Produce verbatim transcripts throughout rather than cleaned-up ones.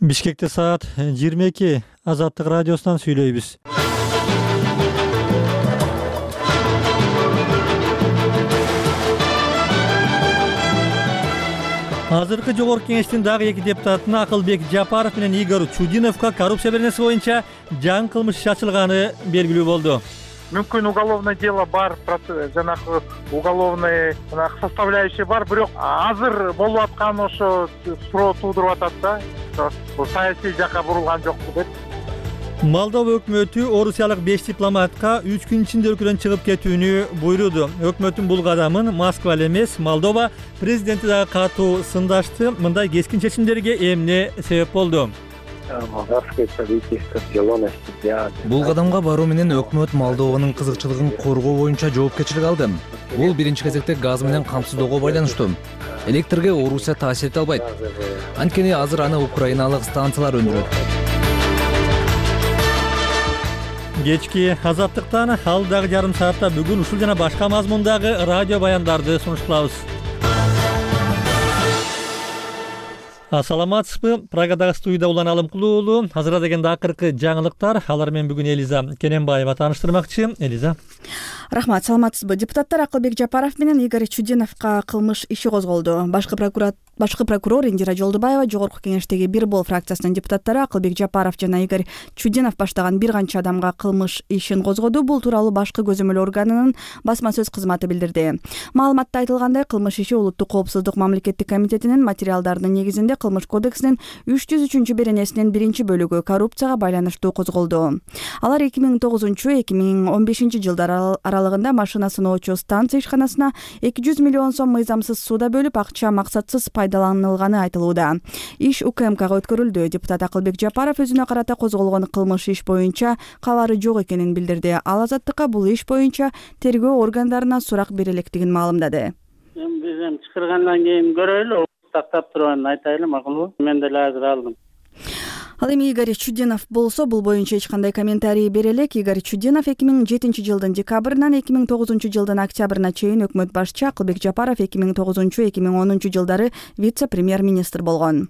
Бишкекте саат жыйырма эки. Азаттык радиосунан сүйлөйбүз. Азыркы жогорку кеңештин дагы эки депутатына Акылбек Жапаров менен Игорь Чудиновго коррупция беренеси боюнча жаңы кылмыш иши ачылганы белгилүү болду. Мүмкүн уголовное дело бар, жанагы уголовный составляющий бар, бирок азыр болуп аткан ошо суроо туудуруп атат да. Бул саясий жакка бурулган жокпу деп. Молдова өкмөтү орусиялык беш дипломатка үч күн ичинде өлкөдөн чыгып кетүүнү буйруду. Өкмөттүн бул кадамын Москва эле эмес, Молдова президенти дагы катуу сындашты. Мындай кескин чечимдерге эмне себеп болду? Бул кадамга баруу менен өкмөт Молдованын кызыкчылыгын коргоо боюнча жоопкерчилик алды. Бул биринчи кезекте газ менен камсыздоого байланыштуу. Электрге Орусия таасир эте албайт. Анткени азыр аны украиналык станциялар өндүрөт. Кечки Азаттыктан алдагы жарым саатта бүгүн ушул жана башка мазмундагы радио баяндарды сунуш кылабыз. Ассаламатсызбы? Прагадагы студияда Улан Алымкулуу уулу. Азыр дегенде акыркы жаңылыктар. Алар менен бүгүн Элиза Кененбаева тааныштырмакчы. Элиза. Рахмат, саламатсызбы? Депутаттар Акылбек Жапаров менен Игорь Чудиновго кылмыш иши козголду. Башкы прокурор Башкы прокурор Индира Жолдубаева жогорку кеңештеги Бир Бол фракциясынын депутаттары Акылбек Жапаров жана Игорь Чудинов баштаган бир канча адамга кылмыш ишин козгоду. Бул тууралуу башкы көзөмөл органынын басма сөз кызматы билдирди. Маалыматта айтылгандай, кылмыш иши Улуттук коопсуздук мамлекеттик комитетинин материалдарынын негизинде Кылмыш кодексинин үч жүз үчүнчү беренесинин биринчи бөлүгү коррупцияга байланыштуу козголду. Алар эки миң тогузунчу эки миң он бешинчи жылдар аралыгында машина сыноочу станция ишканасына эки жүз миллион сом мыйзамсыз сууда бөлүп, акча максатсыз пайдаланылганы айтылууда. Иш УКМКга өткөрүлдү. Депутат Акылбек Жапаров өзүнө карата козголгон кылмыш иш боюнча кабары жок экенин билдирди. Ал Азаттыкка бул иш боюнча тергөө органдарына сурак бере электигин маалымдады. Биз эми чакыргандан кийин көрөлү, тактап турганын айтайлы, макулбу? Мен деле азыр алдым. Ал эми Игорь Чудинов болсо бул боюнча эч кандай комментарий бере элек. Игорь Чудинов эки миң жетинчи жылдын декабрынан эки миң тогузунчу жылдын октябрына чейин өкмөт башчы, Акылбек Жапаров эки миң тогузунчу эки миң онунчу жылдары вице-премьер-министр болгон.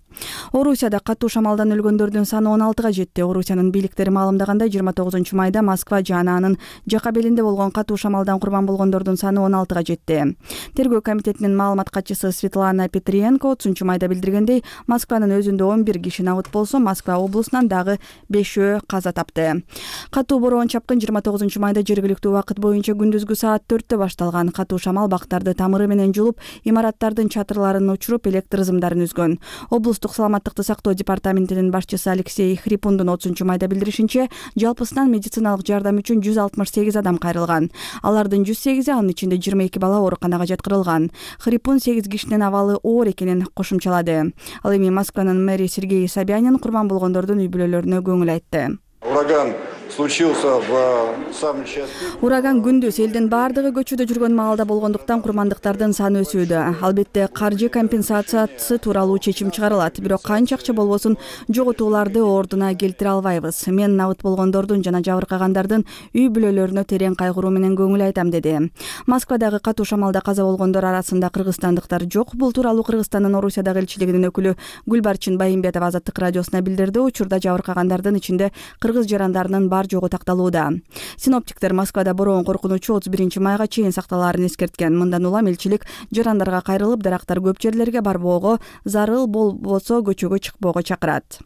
Орусияда катуу шамалдан өлгөндөрдүн саны он алтыга жетти. Орусиянын бийликтери маалымдагандай, жыйырма тогузунчу майда Москва жана анын жака белинде болгон катуу шамалдан курман болгондордун саны он алтыга жетти. Тергөө комитетинин маалымат катчысы Светлана Петренко отузунчу майда билдиргендей, Москванын өзүндө он бир киши набыт болсо, Москва облусунан дагы бешөө каза тапты. Катуу бороон чапкын жыйырма тогузунчу майда жергиликтүү убакыт боюнча күндүзгү саат төрттө башталган. Катуу шамал бактарды тамыры менен жулуп, имараттардын чатырларын учуруп, электр ызымдарын үзгөн. Облустук саламаттыкты сактоо департаментинин башчысы Алексей Хрипундун отузунчу майда билдиришинче, жалпысынан медициналык жардам үчүн жүз алтымыш сегиз адам кайрылган. Алардын жүз сегизи, анын ичинде жыйырма эки бала ооруканага жаткырылган. Хрипун сегиз кишинин абалы оор экенин кошумчалады. Ал эми Москванын мэри Сергей Собянин курман болгондордун үй бүлөлөрүнө көңүл айтты. Ураган случился в самом части. Ураган күндүз элдин баардыгы көчөдө жүргөн маалда болгондуктан курмандыктардын саны өсүүдө. Албетте каржы компенсациясы тууралуу чечим чыгарылат, бирок канча акча болбосун жоготууларды ордуна келтире албайбыз. Мен набыт болгондордун жана жабыркагандардын үй бүлөлөрүнө терең кайгыруу менен көңүл айтам, деди. Москвадагы катуу шамалда каза болгондор арасында кыргызстандыктар жок. Бул тууралуу Кыргызстандын Орусиядагы элчилигинин өкүлү Гүлбарчын Байымбетова Азаттык радиосуна билдирди. Учурда жабыркагандардын ичинде кыргыз жарандарынын бар жогу такталууда. Синоптиктер Москвада бороон коркунучу отуз биринчи майга чейин сакталаарын эскерткен. Мындан улам элчилик жарандарга кайрылып, дарактар көп жерлерге барбоого, зарыл болбосо көчөгө чыкпоого чакырат.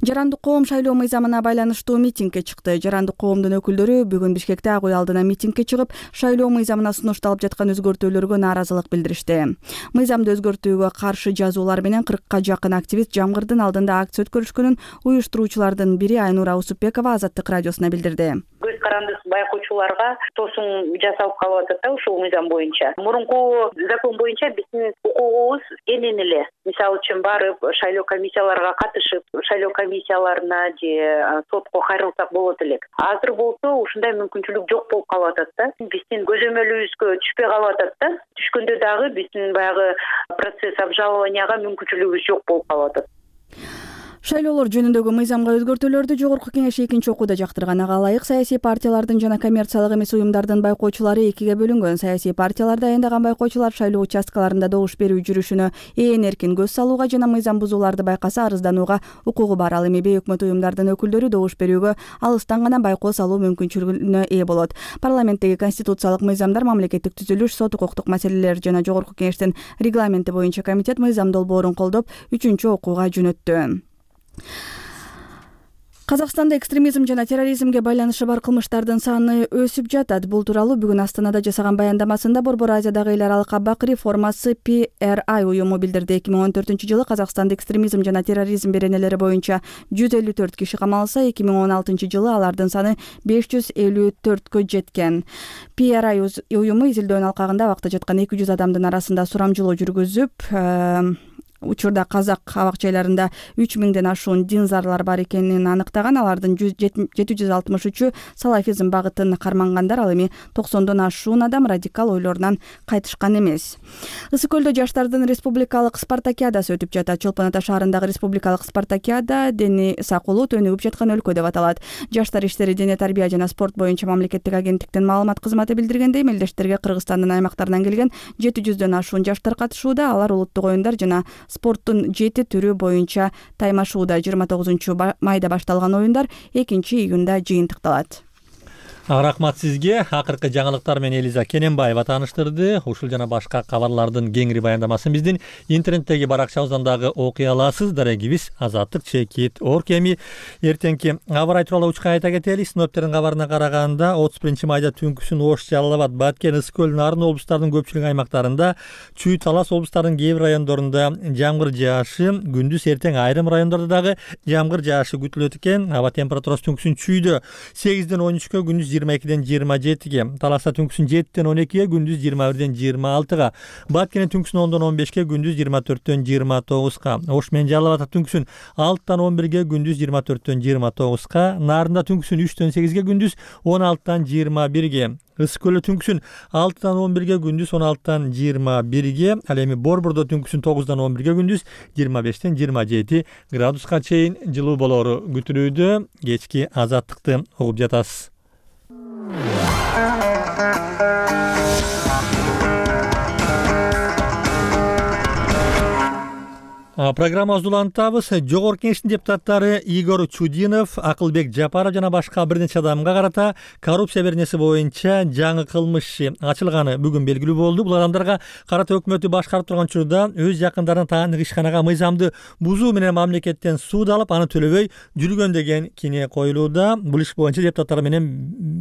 Жарандык коом шайлоо мыйзамына байланыштуу митингге чыкты. Жарандык коомдун өкүлдөрү бүгүн Бишкекте Ак үй алдына митингге чыгып, шайлоо мыйзамына сунушталып жаткан өзгөртүүлөргө нааразылык билдиришти. Мыйзамды өзгөртүүгө каршы жазуулар менен кыркка жакын активист жамгырдын алдында акция өткөрүшкөнүн уюштуруучулардын бири Айнура Усупбекова Азаттык радиосуна билдирди. Көз карандысыз байкоочуларга тосуң жасалып калып атат да ушул мыйзам боюнча. Мурунку закон боюнча биздин укугубуз кенен эле. Мисалы үчүн барып шайлоо комиссияларга катышып, шайлоо комиссияларына же сотко кайрылсак болот элек. Азыр болсо ушундай мүмкүнчүлүк жок болуп калып атат да. Биздин көзөмөлүбүзгө түшпөй калып атат да. Түшкөндө дагы биздин баягы процесс обжалованияга мүмкүнчүлүгүбүз жок болуп калып атат. Шайлоолор жөнүндөгү мыйзамга өзгөртүүлөрдү Жогорку Кеңеш экинчи окууда жактырган. Ага ылайык саясий партиялардын жана коммерциялык эмес уюмдардын байкоочулары экиге бөлүнгөн. Саясий партияларда аяндаган байкоочулар шайлоо участкаларында добуш берүү жүрүшүнө ээн эркин көз салууга жана мыйзам бузууларды байкаса арызданууга укугу бар. Ал эми бейөкмөт уюмдардын өкүлдөрү добуш берүүгө алыстан гана байкоо салуу мүмкүнчүлүгүнө ээ болот. Парламенттеги конституциялык мыйзамдар, мамлекеттик түзүлүш, сот укуктук маселелер жана Жогорку Кеңештин регламенти боюнча комитет мыйзам долбоорун колдоп үчүнчү окууга жөнөттү. Казакстанда экстремизм жана терроризмге байланышы бар кылмыштардын саны өсүп жатат. Бул тууралуу бүгүн Астанада жасаган баяндамасында Борбор Азиядагы эл аралык абак реформасы P R I уюму билдирди. эки миң он төртүнчү жылы Казакстанда экстремизм жана терроризм беренелери боюнча жүз элүү төрт киши камалса, эки миң он алтынчы жылы алардын саны беш жүз элүү төрткө жеткен. P R I уюму изилдөөнүн алкагында абакта жаткан эки жүз адамдын арасында сурамжылоо жүргүзүп, учурда казак абак-жайларында үч миңден ашуун динзарлар бар экенин аныктаган. Алардын жети жүз алтымыш үчү салафизм багытын кармангандар. Ал эми токсондон ашуун адам радикал ойлорунан кайтышкан эмес. Ысык көлдө жаштардын республикалык спартакиадасы өтүп жатат. Чолпон Ата шаарындагы республикалык спартакиада дени сакуулут өнүгүп жаткан өлкө деп аталат. Жаштар иштери, дене тарбия жана спорт боюнча мамлекеттик агенттиктин маалымат кызматы билдиргендей, мелдештерге Кыргызстандын аймактарынан келген жети жүздөн ашуун жаштар катышууда. Алар улуттук оюндар жана спорттун жети түрү боюнча таймашууда. жыйырма тогузунчу майда башталган оюндар экинчи июнда жыйынтыкталат. Рахмат сизге. Акыркы жаңылыктар менен Элиза Кененбаева тааныштырды. Ушул жана башка кабарлардын кеңири баяндамасын биздин интернеттеги баракчабыздан дагы окуй аласыз. Дарегибиз Азаттык Чекит Орг. Эми эртеңки аба ырайы тууралуу учка айта кетели. Синоптиктердин кабарына караганда отуз биринчи майда түнкүсүн Ош, Жалал Абад, Баткен, Ысык көл, Нарын облустарынын көпчүлүк аймактарында, Чүй, Талас облустарынын кээ бир райондорунда жамгыр жаашы, күндүз эртең айрым райондордо дагы жамгыр жаашы күтүлөт экен. Аба температурасы түнкүсүн Чүйдө сегизден он үчкө, күндүз жыйырма экиден жыйырма жетиге, Таласта түнкүсүн жетиден он экиге, күндүз жыйырма бирден жыйырма алтыга, Баткенде түнкүсүн ондон он бешке, күндүз жыйырма төрттөн жыйырма тогузга, Ош менен Жалал Абадта түнкүсүн алтыдан он бирге, күндүз жыйырма төрттөн жыйырма тогузга, Нарында түнкүсүн үчтөн сегизге, күндүз он алтыдан жыйырма бирге, Ысык көлдө түнкүсүн алтыдан он бирге, күндүз он алтыдан жыйырма бирге, ал эми Борбордо түнкүсүн тогуздан он бирге, күндүз жыйырма бештен жыйырма жети градуска чейин жылуу болору күтүлүүдө. Кечки азаттыкты угуп жатасыз. Программабызды улантабыз. Жогорку Кеңештин депутаттары Игорь Чудинов, Акылбек Жапаров жана башка бир нече адамга карата коррупция беренеси боюнча жаңы кылмыш ачылганы бүгүн белгилүү болду. Бул адамдарга карата өкмөтү башкарып турган учурда өз жакындарын таандык ишканага мыйзамды бузуу менен мамлекеттен сууд алып, аны төлөбөй жүргөн деген кине коюлууда. Бул иш боюнча депутаттар менен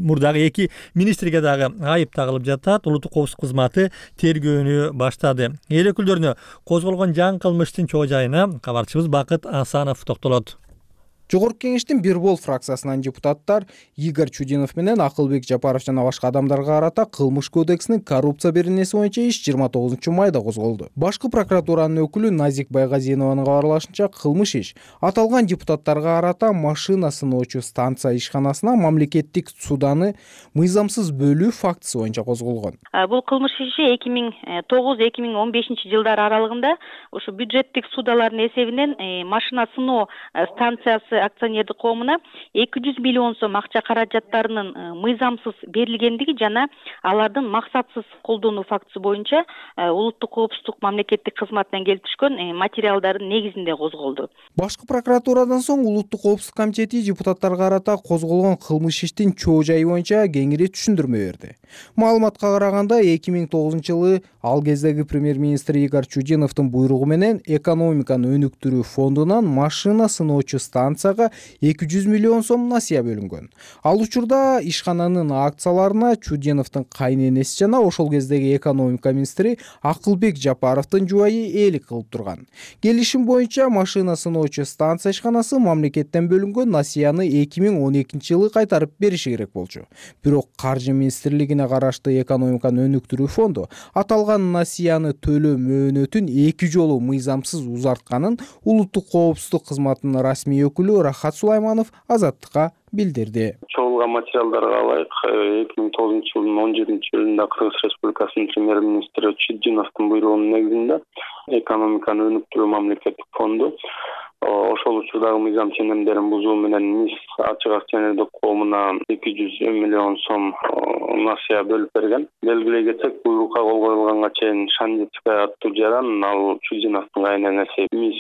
мурдагы эки министрге дагы айып тагылып жатат. Улуттук коопсуздук кызматы тергөөнү баштады. Эл өкүлдөрүнө козголгон жаңы кылмыштын жайына кабарчыбыз Бакыт Асанов токтолот. Жогорку Кеңештин бир бол фракциясынан депутаттар Игорь Чудинов менен Акылбек Жапаров жана башка адамдарга карата кылмыш кодексинин коррупция беренеси боюнча иш жыйырма тогузунчу майда козголду. Башкы прокуратуранын өкүлү Назик Байгазинованын кабарлашынча, кылмыш иш аталган депутаттарга карата машина сыноочу станция ишканасына мамлекеттик суданы мыйзамсыз бөлүү фактысы боюнча козголгон. Бул кылмыш иши эки миң тогуз эки миң он бешинчи жылдар аралыгында ушу бюджеттик судалардын эсебинен машина сыноо станциясы акционердик коомуна эки жүз миллион сом акча каражаттарынын мыйзамсыз берилгендиги жана алардын максатсыз колдонуу фактысы боюнча улуттук коопсуздук мамлекеттик кызматынан келип түшкөн материалдардын негизинде козголду. Башкы прокуратурадан соң улуттук коопсуздук комитети депутаттарга карата козголгон кылмыш иштин чоо жайы боюнча кеңири түшүндүрмө берди. Маалыматка караганда эки миң тогузунчу жылы ал кездеги премьер-министр Игорь Чудиновдун буйругу менен экономиканы өнүктүрүү фондунан машина сыноочу станцияга эки жүз миллион сом насыя бөлүнгөн. Ал учурда ишкананын акцияларына Чудиновдун кайненеси жана ошол кездеги экономика министри Акылбек Жапаровдун жубайы ээлик кылып турган. Келишим боюнча машина сыноочу станция ишканасы мамлекеттен бөлүнгөн насыяны эки миң он экинчи жылы кайтарып бериши керек болчу. Бирок каржы министрлигине караштуу экономиканы өнүктүрүү фонду аталган насыяны төлөө мөөнөтүн эки жолу мыйзамсыз узартканын улуттук коопсуздук кызматынын расмий өкүлү Рахат Сулайманов Азаттыкка билдирди. Чогулган материалдарга ылайык эки миң тогузунчу жылдын он жетинчи июлунда Кыргыз Республикасынын премьер-министри Чудиновдун буйругунун негизинде экономиканы өнүктүрүү мамлекеттик фонду ошол учурдагы мыйзам ченемдерин бузуу менен мис ачык акционердик коомуна эки жүз миллион сом насыя бөлүп берген. Белгилей кетсек, буйрукка кол коюлганга чейин Шандицкая аттуу жаран ал Чудиновдун кайненеси мис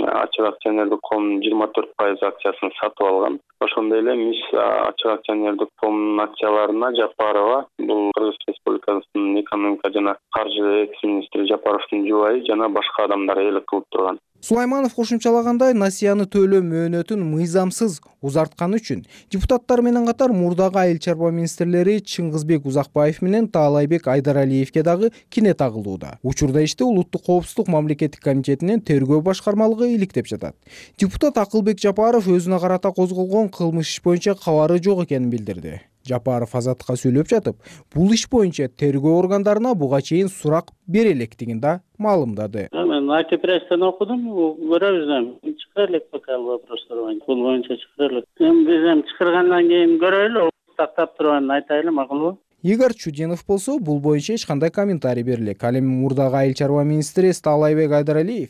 ачык акционердик коомунун жыйырма төрт пайыз акциясын сатып алган. Ошондой эле мис ачык акционердик коомунун акцияларына Жапарова, бул Кыргыз Республикасынын экономика жана каржы экс-министри Жапаровдун жубайы жана башка адамдар ээлик кылып турган. Сулайманов кошумчалагандай, насыяны төлөө мөөнөтүн мыйзамсыз узартканы үчүн депутаттар менен катар мурдагы айыл чарба министрлери Чыңгызбек Узакбаев менен Таалайбек Айдаралиевке дагы кине тагылууда. Учурда иште Улуттук коопсуздук мамлекеттик комитетинин тергөө башкармалыгы иликтеп жатат. Депутат Акылбек Жапаров өзүнө карата козголгон кылмыш иш боюнча кабары жок экенин билдирди. Жапаров Азаттыкка сүйлөп жатып, бул иш боюнча тергөө органдарына буга чейин сурак бере электигин да маалымдады. Мен ай ти пресстен окудум, көрөбүз эми. Чыгара элек пока вопростор боюнча. Бул боюнча чыгара элек. Эми биз эми чыгаргандан кийин көрөлү, тактап турганын айтайлы, макулбу? Игорь Чудинов болсо, бул боюнча эч кандай комментарий бере элек. Ал эми мурдагы айыл чарба министри Таалайбек Айдаралиев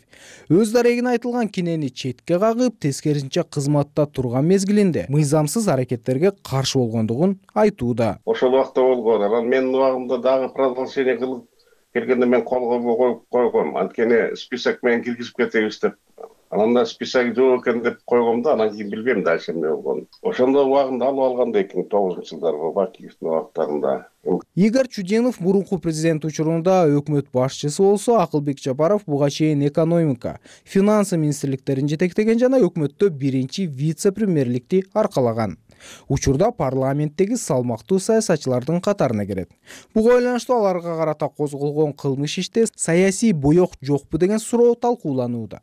өз дарегине айтылган кинени четке кагып, тескерисинче кызматта турган мезгилинде мыйзамсыз аракеттерге каршы болгондугун айтууда. Ошол убакта болгон. Анан менин убагымда дагы продолжение кылып келгенде мен колго коюп койгом. Анткени список менен киргизип кетебиз деп. Анан да список жок экен деп койгом да, анан кийин билбейм дальше эмне болгонун. Ошондо убагында алып алганда эки миң тогузунчу жылдарда Бакиевдин убактарында. Игорь Чудинов мурунку президент учурунда өкмөт башчысы болсо, Акылбек Жапаров буга чейин экономика, финансы министрликтерин жетектеген жана өкмөттө биринчи вице-премьерликти аркалаган. Учурда парламенттеги салмактуу саясатчылардын катарына кирет. Буга байланыштуу аларга карата козголгон кылмыш иште саясий боек жокпу деген суроо талкууланууда.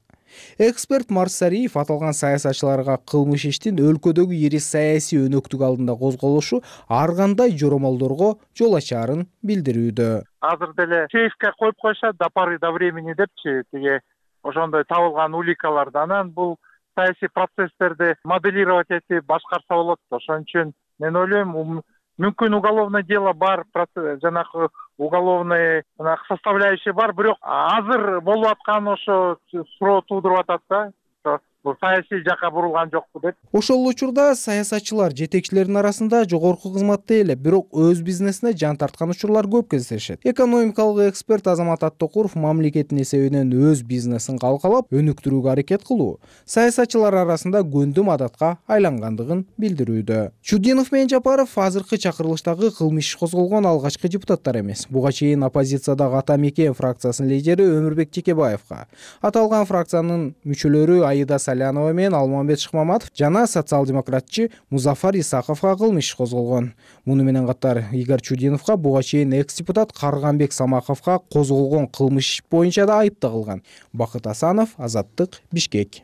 Эксперт Марсариев аталган саясатчыларга кылмыш иштин өлкөдөгү ири саясий өнөктүк алдында козголушу ар кандай жоромолдорго жол ачаарын билдирүүдө. Азыр деле сейфке коюп койшат до поры до времени депчи, тиги ошондой табылган уликаларды. Анан бул саясий процесстерди моделировать этип башкарса болот. Ошон үчүн мен ойлойм, мүмкүн уголовное дело бар, жанагы уголовный составляющий бар, бирок азыр болуп аткан ошо суроо туудуруп атат да. Бул саясий жакка бурулган жокпу деп. Ошол учурда саясатчылар жетекчилердин арасында жогорку кызматта эле, бирок өз бизнесине жан тарткан учурлар көп кездешет. Экономикалык эксперт Азамат Аттокуров мамлекеттин эсебинен өз бизнесин калкалап, өнүктүрүүгө аракет кылуу саясатчылар арасында көндүм адатка айлангандыгын билдирүүдө. Чудинов менен Жапаров азыркы чакырылыштагы кылмыш козголгон алгачкы депутаттар эмес. Буга чейин оппозициядагы Ата Мекен фракциясынын лидери Өмүрбек Текебаевга, аталган фракциянын мүчөлөрү Аида Салянова менен Алмамбет Шыкмаматов жана социал-демократчы Музафар Исаковго кылмыш козголгон. Муну менен катар Игорь Чудиновго, буга чейин экс-депутат Карганбек Самаковго козголгон кылмыш боюнча да айып тагылган. Бакыт Асанов, Азаттык, Бишкек.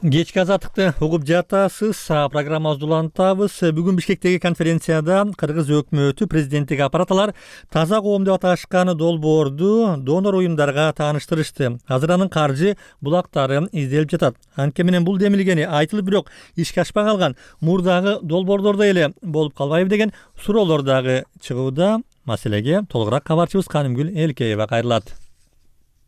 Кечки азаттыкты угуп жатасыз. Программабызды улантабыз. Бүгүн Бишкектеги конференцияда Кыргыз өкмөтү президенттик аппараталар таза коом деп аташкан долбоорду донор уюмдарга тааныштырышты. Азыр анын каржы булактары изделип жатат. Анткени менен бул демилгени айтылып, бирок ишке ашпай калган мурдагы долбоордордой эле болуп калбайбы деген суроолор дагы чыгууда. Маселеге толугураак кабарчыбыз Канымгүл Элкеева кайрылат.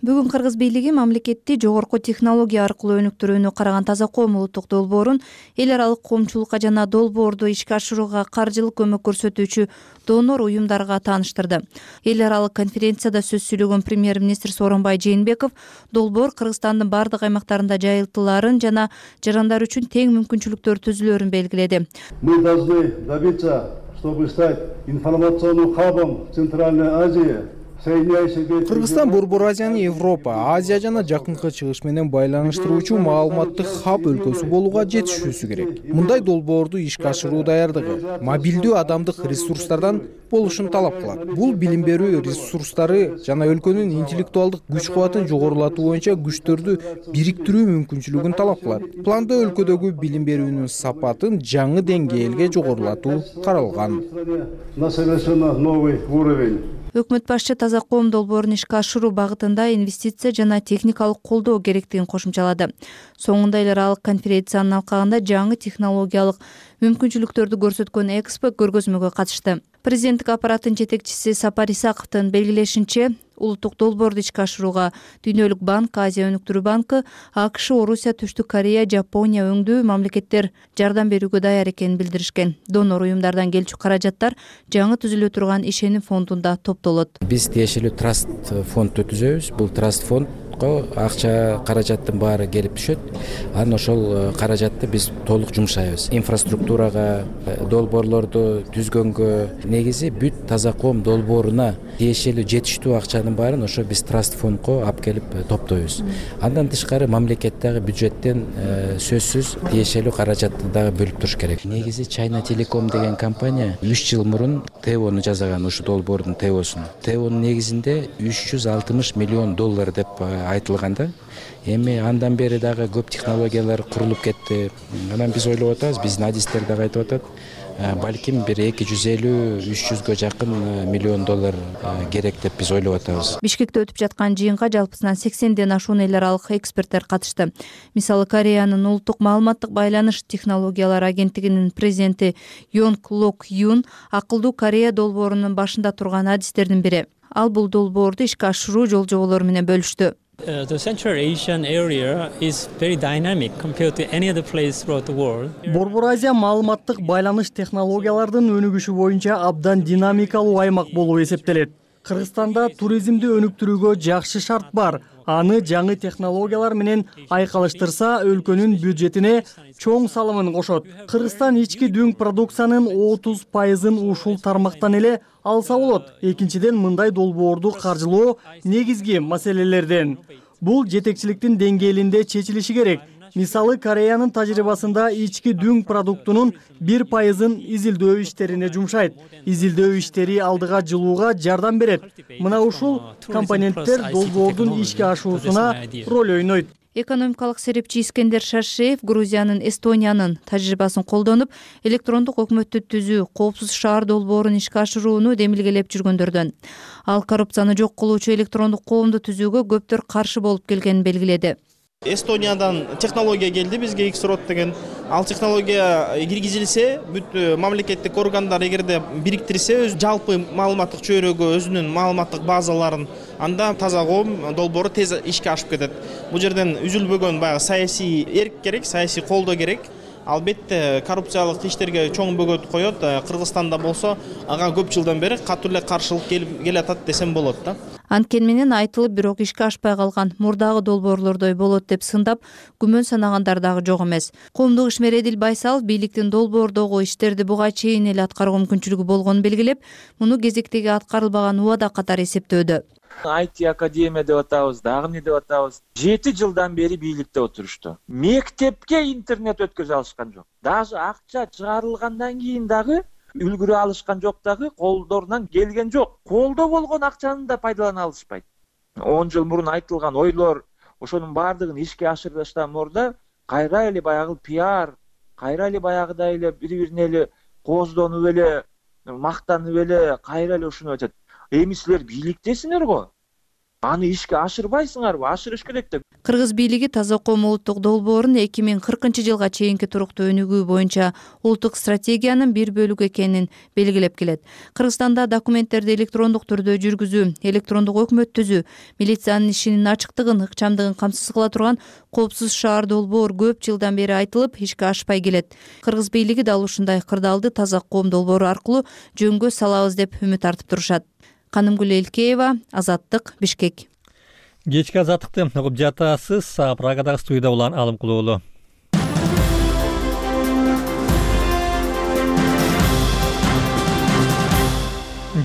Бүгүн Кыргыз бийлиги мамлекетти жогорку технология аркылуу өнүктүрүүнү караган таза коом улуттук долбоорун эл аралык коомчулукка жана долбоорду ишке ашырууга каржылык көмөк көрсөтүүчү донор уюмдарга тааныштырды. Эл аралык конференцияда сөз сүйлөгөн премьер-министр Сооронбай Жээнбеков долбоор Кыргызстандын бардык аймактарында жайылтылаарын жана жарандар үчүн тең мүмкүнчүлүктөр түзүлөөрүн белгиледи. Мы должны добиться, чтобы стать информационным хабом Центральной Азии. Кыргызстан Борбор Азияны Европа, Азия жана Жакынкы Чыгыш менен байланыштыруучу маалыматтык хаб өлкөсү болууга жетишүүсү керек. Мындай долбоорду ишке ашыруу даярдыгы мобилдүү адамдык ресурстардан болушун талап кылат. Бул билим берүү ресурстары жана өлкөнүн интеллектуалдык күч-кубатын жогорулатуу боюнча күчтөрдү бириктирүү мүмкүнчүлүгүн талап кылат. Планда өлкөдөгү билим берүүнүн сапатын жаңы деңгээлге жогорулатуу каралган. На совершенно новый уровень. Өкмөт башчы таза коом долбоорун ишке ашыруу багытында инвестиция жана техникалык колдоо керектигин кошумчалады. Соңунда эл аралык конференциянын алкагында жаңы технологиялык мүмкүнчүлүктөрдү көрсөткөн экспо көргөзмөгө катышты. Президенттик аппараттын жетекчиси Сапар Исаковдун белгилешинче, улуттук долбоорду ишке ашырууга Дүйнөлүк банк, Азия өнүктүрүү банкы, АКШ, Орусия, Түштүк Корея, Жапония өңдүү мамлекеттер жардам берүүгө даяр экенин билдиришкен. Донор уюмдардан келчү каражаттар жаңы түзүлө турган ишеним фондунда топтолот. Биз тиешелүү траст фонд түзөбүз. Бул траст фонд акча каражаттын баары келип түшөт. Анан ошол каражатты биз толук жумшайбыз. Инфраструктурага, долбоорлорду түзгөнгө, негизи бүт таза коом долбооруна тиешелүү жетиштүү акчанын баарын ошо биз траст фондко алып келип топтойбуз. Андан тышкары мамлекеттеги бюджеттен сөзсүз тиешелүү каражатты дагы бөлүп туруш керек. Негизи China Telecom деген компания үч жыл мурун ТЭОну жасаган, ушу долбоордун ТЭОсун. ТЭОнун негизинде үч жүз алтымыш миллион доллар деп айтылганда, эми андан бери дагы көп технологиялар курулуп кетти. Анан биз ойлоп атабыз, биздин адистер дагы айтып атат, балким бир эки жүз элүү үч жүзгө жакын миллион доллар керек деп биз ойлоп атабыз. Бишкекте өтүп жаткан жыйынга жалпысынан сексенден ашуун эл аралык эксперттер катышты. Мисалы, Кореянын улуттук маалыматтык байланыш технологиялары агенттигинин президенти Йонг Лок Юн акылдуу Корея долбоорунун башында турган адистердин бири. Ал бул долбоорду ишке ашыруу жол жоболору менен бөлүштү. Uh, the Central Asian area is very dynamic compared to any other place throughout the world. Борбор Азия маалыматтык байланыш технологиялардын өнүгүшү боюнча абдан динамикалуу аймак болуп эсептелет. Кыргызстанда туризмди өнүктүрүүгө жакшы шарт бар. Аны жаңы технологиялар менен айкалыштырса, өлкөнүн бюджетине чоң салымын кошот. Кыргызстан ички дүң продукциянын отуз пайызын ушул тармактан эле алса болот. Экинчиден, мындай долбоорду каржылоо негизги маселелерден. Бул жетекчиликтин деңгээлинде чечилиши керек. Мисалы, Кореянын тажрыйбасында ички дүң продуктунун бир пайызын изилдөө иштерине жумшайт. Изилдөө иштери алдыга жылууга жардам берет. Мына ушул компоненттер долбоордун ишке ашуусуна роль ойнойт. Экономикалык серепчи Искендер Шашеев Грузиянын, Эстониянын тажрыйбасын колдонуп, электрондук өкмөттү түзүү, коопсуз шаар долбоорун ишке ашырууну демилгелеп жүргөндөрдөн. Ал коррупцияны жок кылуучу электрондук коомду түзүүгө көптөр каршы болуп келгенин белгиледи. Эстониядан технология келди бизге, X-Rod деген. Ал технология киргизилсе, бүт мамлекеттик органдар эгерде бириктирсе, өз жалпы маалыматтык чөйрөгө өзүнүн маалыматтык базаларын, анда таза коом долбоору тез ишке ашып кетет. Бул жерден үзүлбөгөн баягы саясий эрк керек, саясий колдоо керек. Албетте коррупциялык иштерге чоң бөгөт коет. Кыргызстанда болсо, ага көп жылдан бери катуу эле каршылык келатат десем болот да. Анткени менен айтылып, бирок ишке ашпай калган мурдагы долбоорлордой болот деп сындап, күмөн санагандар дагы жок эмес. Коомдук ишмер Эдил Байсалов бийликтин долбоордогу иштерди буга чейин эле аткаруу мүмкүнчүлүгү болгонун белгилеп, муну кезектеги аткарылбаган убада катары эсептөөдө. ай ти академия деп атабыз, дагы эмне деп атабыз. жети жылдан бери бийликте отурушту. Мектепке интернет өткөзө алышкан жок. Даже акча чыгарылгандан кийин дагы үлгүрө алышкан жок, дагы колдорунан келген жок. Колдо болгон акчаны да пайдалана алышпайт. он жыл мурун айтылган ойлор, ошонун баардыгын ишке ашырыштан мурда кайра эле баягы пиар, кайра эле баягыдай эле бири-бирине эле кооздонуп эле, мактанып эле, кайра эле ушуну айтат. Эми силер бийликтесиңер го. Аны ишке ашырбайсыңарбы? Ашырыш керек деп. Кыргыз бийлиги таза коом улуттук долбоорун эки миң кыркынчы жылга чейинки туруктуу өнүгүү боюнча улуттук стратегиянын бир бөлүгү экенин белгилеп келет. Кыргызстанда документтерди электрондук түрдө жүргүзүү, электрондук өкмөт түзүү, милициянын ишинин ачыктыгын, ыкчамдыгын камсыз кыла турган коопсуз шаар долбоор көп жылдан бери айтылып, ишке ашпай келет. Кыргыз бийлиги дал ушундай кырдаалды таза коом долбоору аркылуу жөнгө салабыз деп үмүт артып турушат. Канымгүл Элкеева, Азаттык, Бишкек. Кечки азаттыкты угуп жатасыз. Прагадагы студияда улан Алым Кулуулу.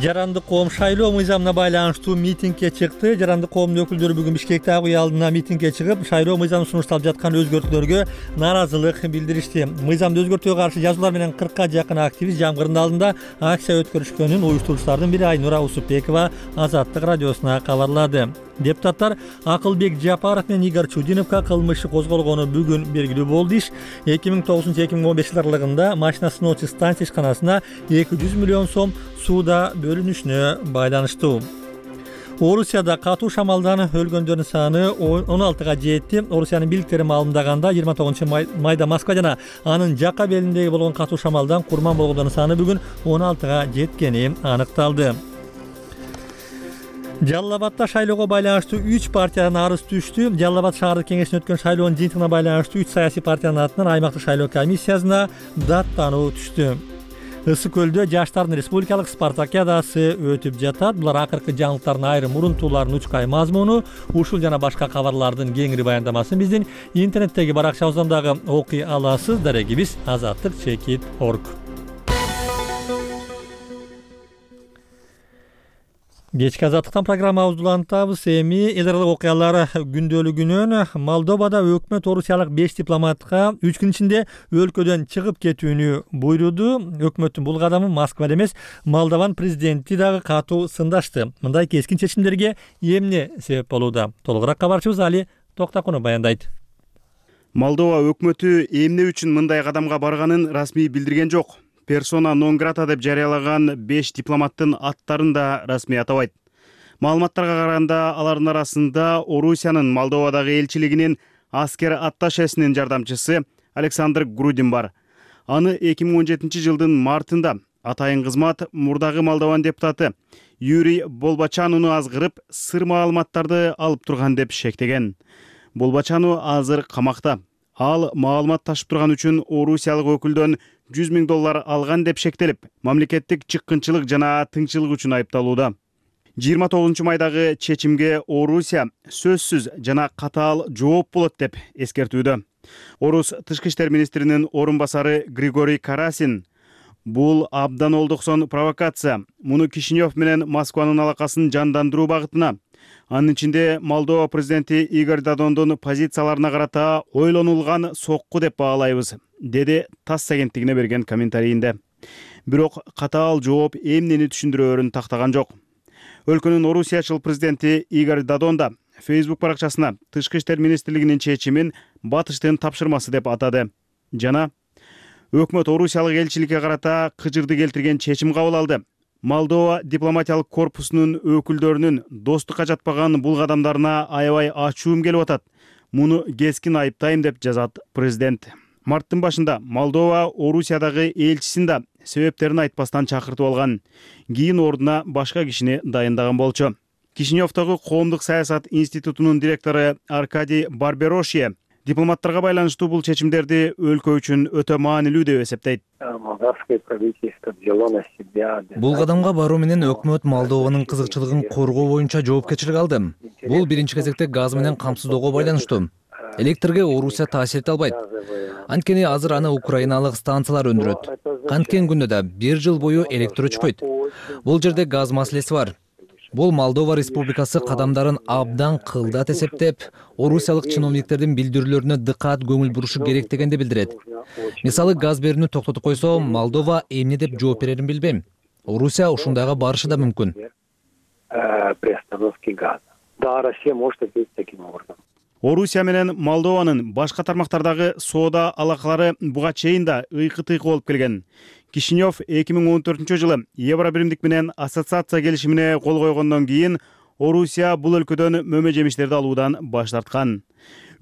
Жарандык коом шайлоо мыйзамына байланыштуу митингге чыкты. Жарандык коомдун өкүлдөрү бүгүн Бишкектеги үй алдына митингге чыгып, шайлоо мыйзамы сунушталып жаткан өзгөртүүлөргө наразылык билдиришти. Мыйзамды өзгөртүүгө каршы жазуулар менен кыркка жакын активист жамгырдын алдында акция өткөрүшкөнүн уюштуруучулардын бири Айнура Усупбекова Азаттык радиосуна кабарлады. Депутаттар Акылбек Жапаров менен Игорь Чудиновго кылмыш козголгону бүгүн белгилүү болду. Иш эки миң тогузунчу эки миң он беш аралыгында машина сыноочу станция ишканасына эки жүз миллион сом сууда бөлүнүшүнө байланыштуу. Орусияда катуу шамалдан өлгөндөрдүн саны он алтыга жетти. Орусиянын бийликтери маалымдаганда жыйырма тогузунчу майда Москва жана анын жакка белиндеги болгон катуу шамалдан курман болгондордун саны бүгүн он алтыга жеткени аныкталды. Жалал Абадда шайлоого байланыштуу үч партиядан арыз түштү. Жалал Абад шаардык кеңешине өткөн шайлоонун жыйынтыгына байланыштуу үч саясий партиянын атынан аймактык шайлоо комиссиясына даттануу түштү. Ысык көлдө жаштардын республикалык спартакиадасы өтүп жатат. Булар акыркы жаңылыктардын айрым мурунтууларынын учкай мазмуну. Ушул жана башка кабарлардын кеңири баяндамасын биздин интернеттеги баракчабыздан дагы окуй аласыз. Дарегибиз азаттык чекит точка орг. Кечки азаттыктан программабызды улантабыз. Эми эл аралык окуялар күндөлүгүнөн Молдовада өкмөт орусиялык беш дипломатка үч күн ичинде өлкөдөн чыгып кетүүнү буйруду. Өкмөттүн бул кадамын Москва эмес, Молдован президенти дагы катуу сындашты. Мындай кескин чечимдерге эмне себеп болууда? Толугураак кабарчыбыз Али Токтакунов баяндайт. Молдова өкмөтү эмне үчүн мындай кадамга барганын расмий билдирген жок. Персона нон грата деп жарыялаган беш дипломаттын аттарын да расмий атабайт. Маалыматтарга караганда алардын арасында Орусиянын Молдовадагы элчилигинин аскер атташесинин жардамчысы Александр Грудин бар. Аны эки миң он жетинчи жылдын мартында атайын кызмат мурдагы Молдован депутаты Юрий Болбачанууну азгырып, сыр маалыматтарды алып турган деп шектеген. Болбачануу азыр камакта. Ал маалымат ташып турган үчүн орусиялык өкүлдөн жүз миң доллар алган деп шектелип, мамлекеттик чыккынчылык жана тыңчылык үчүн айыпталууда. жыйырма тогузунчу майдагы чечимге Орусия сөзсүз жана катаал жооп болот деп эскертүүдө. Орус тышкы иштер министринин орун басары Григорий Карасин бул абдан олдуксон провокация. Муну Кишинев менен Москванын алакасын жандандыруу багытына, анын ичинде Молдова президенти Игорь Додондун позицияларына карата ойлонулган сокку деп баалайбыз, деди ТАСС агенттигине берген комментарийинде. Бирок катаал жооп эмнени түшүндүрөөрүн тактаган жок. Өлкөнүн орусиячыл президенти Игорь Додон да Facebook баракчасына тышкы иштер министрлигинин чечимин батыштын тапшырмасы деп атады. Жана өкмөт орусиялык элчиликке карата кыжырды келтирген чечим кабыл алды. Молдова дипломатиялык корпусунун өкүлдөрүнүн достукка жатпаган бул кадамдарына аябай ачуум келип атат. Муну кескин айыптайм деп жазат президент. Марттын башында Молдова Орусиядагы элчисин да себептерин айтпастан чакыртып алган. Кийин ордуна башка кишини дайындаган болчу. Кишиневдогу коомдук саясат институтунун директору Аркадий Барберошье дипломаттарга байланыштуу бул чечимдерди өлкө үчүн өтө маанилүү деп эсептейт. Бул кадамга баруу менен өкмөт Молдованын кызыкчылыгын коргоо боюнча жоопкерчилик алды. Бул биринчи кезекте газ менен камсыздоого байланыштуу. Электрге Орусия таасир эте албайт. Анткени азыр аны украиналык станциялар өндүрөт. Канткен күндө да бир жыл бою электр өчпөйт. Бул жерде газ маселеси бар. Бул Молдова Республикасы кадамдарын абдан кылдат эсептеп, орусиялык чиновниктердин билдирүүлөрүнө дыкат көңүл бурушу керек дегенди билдирет. Мисалы, газ берүүнү токтотуп койсо, Молдова эмне деп жооп берерин билбейм. Орусия ушундайга барышы да мүмкүн. Орусия менен Молдованын башка тармактардагы соода алакалары буга чейин да ыйкы-тыйкы болуп келген. Кишинев эки миң он төртүнчү жылы Евробиримдик менен ассоциация келишимине кол койгондон кийин Орусия бул өлкөдөн мөмө жемиштерди алуудан баш тарткан.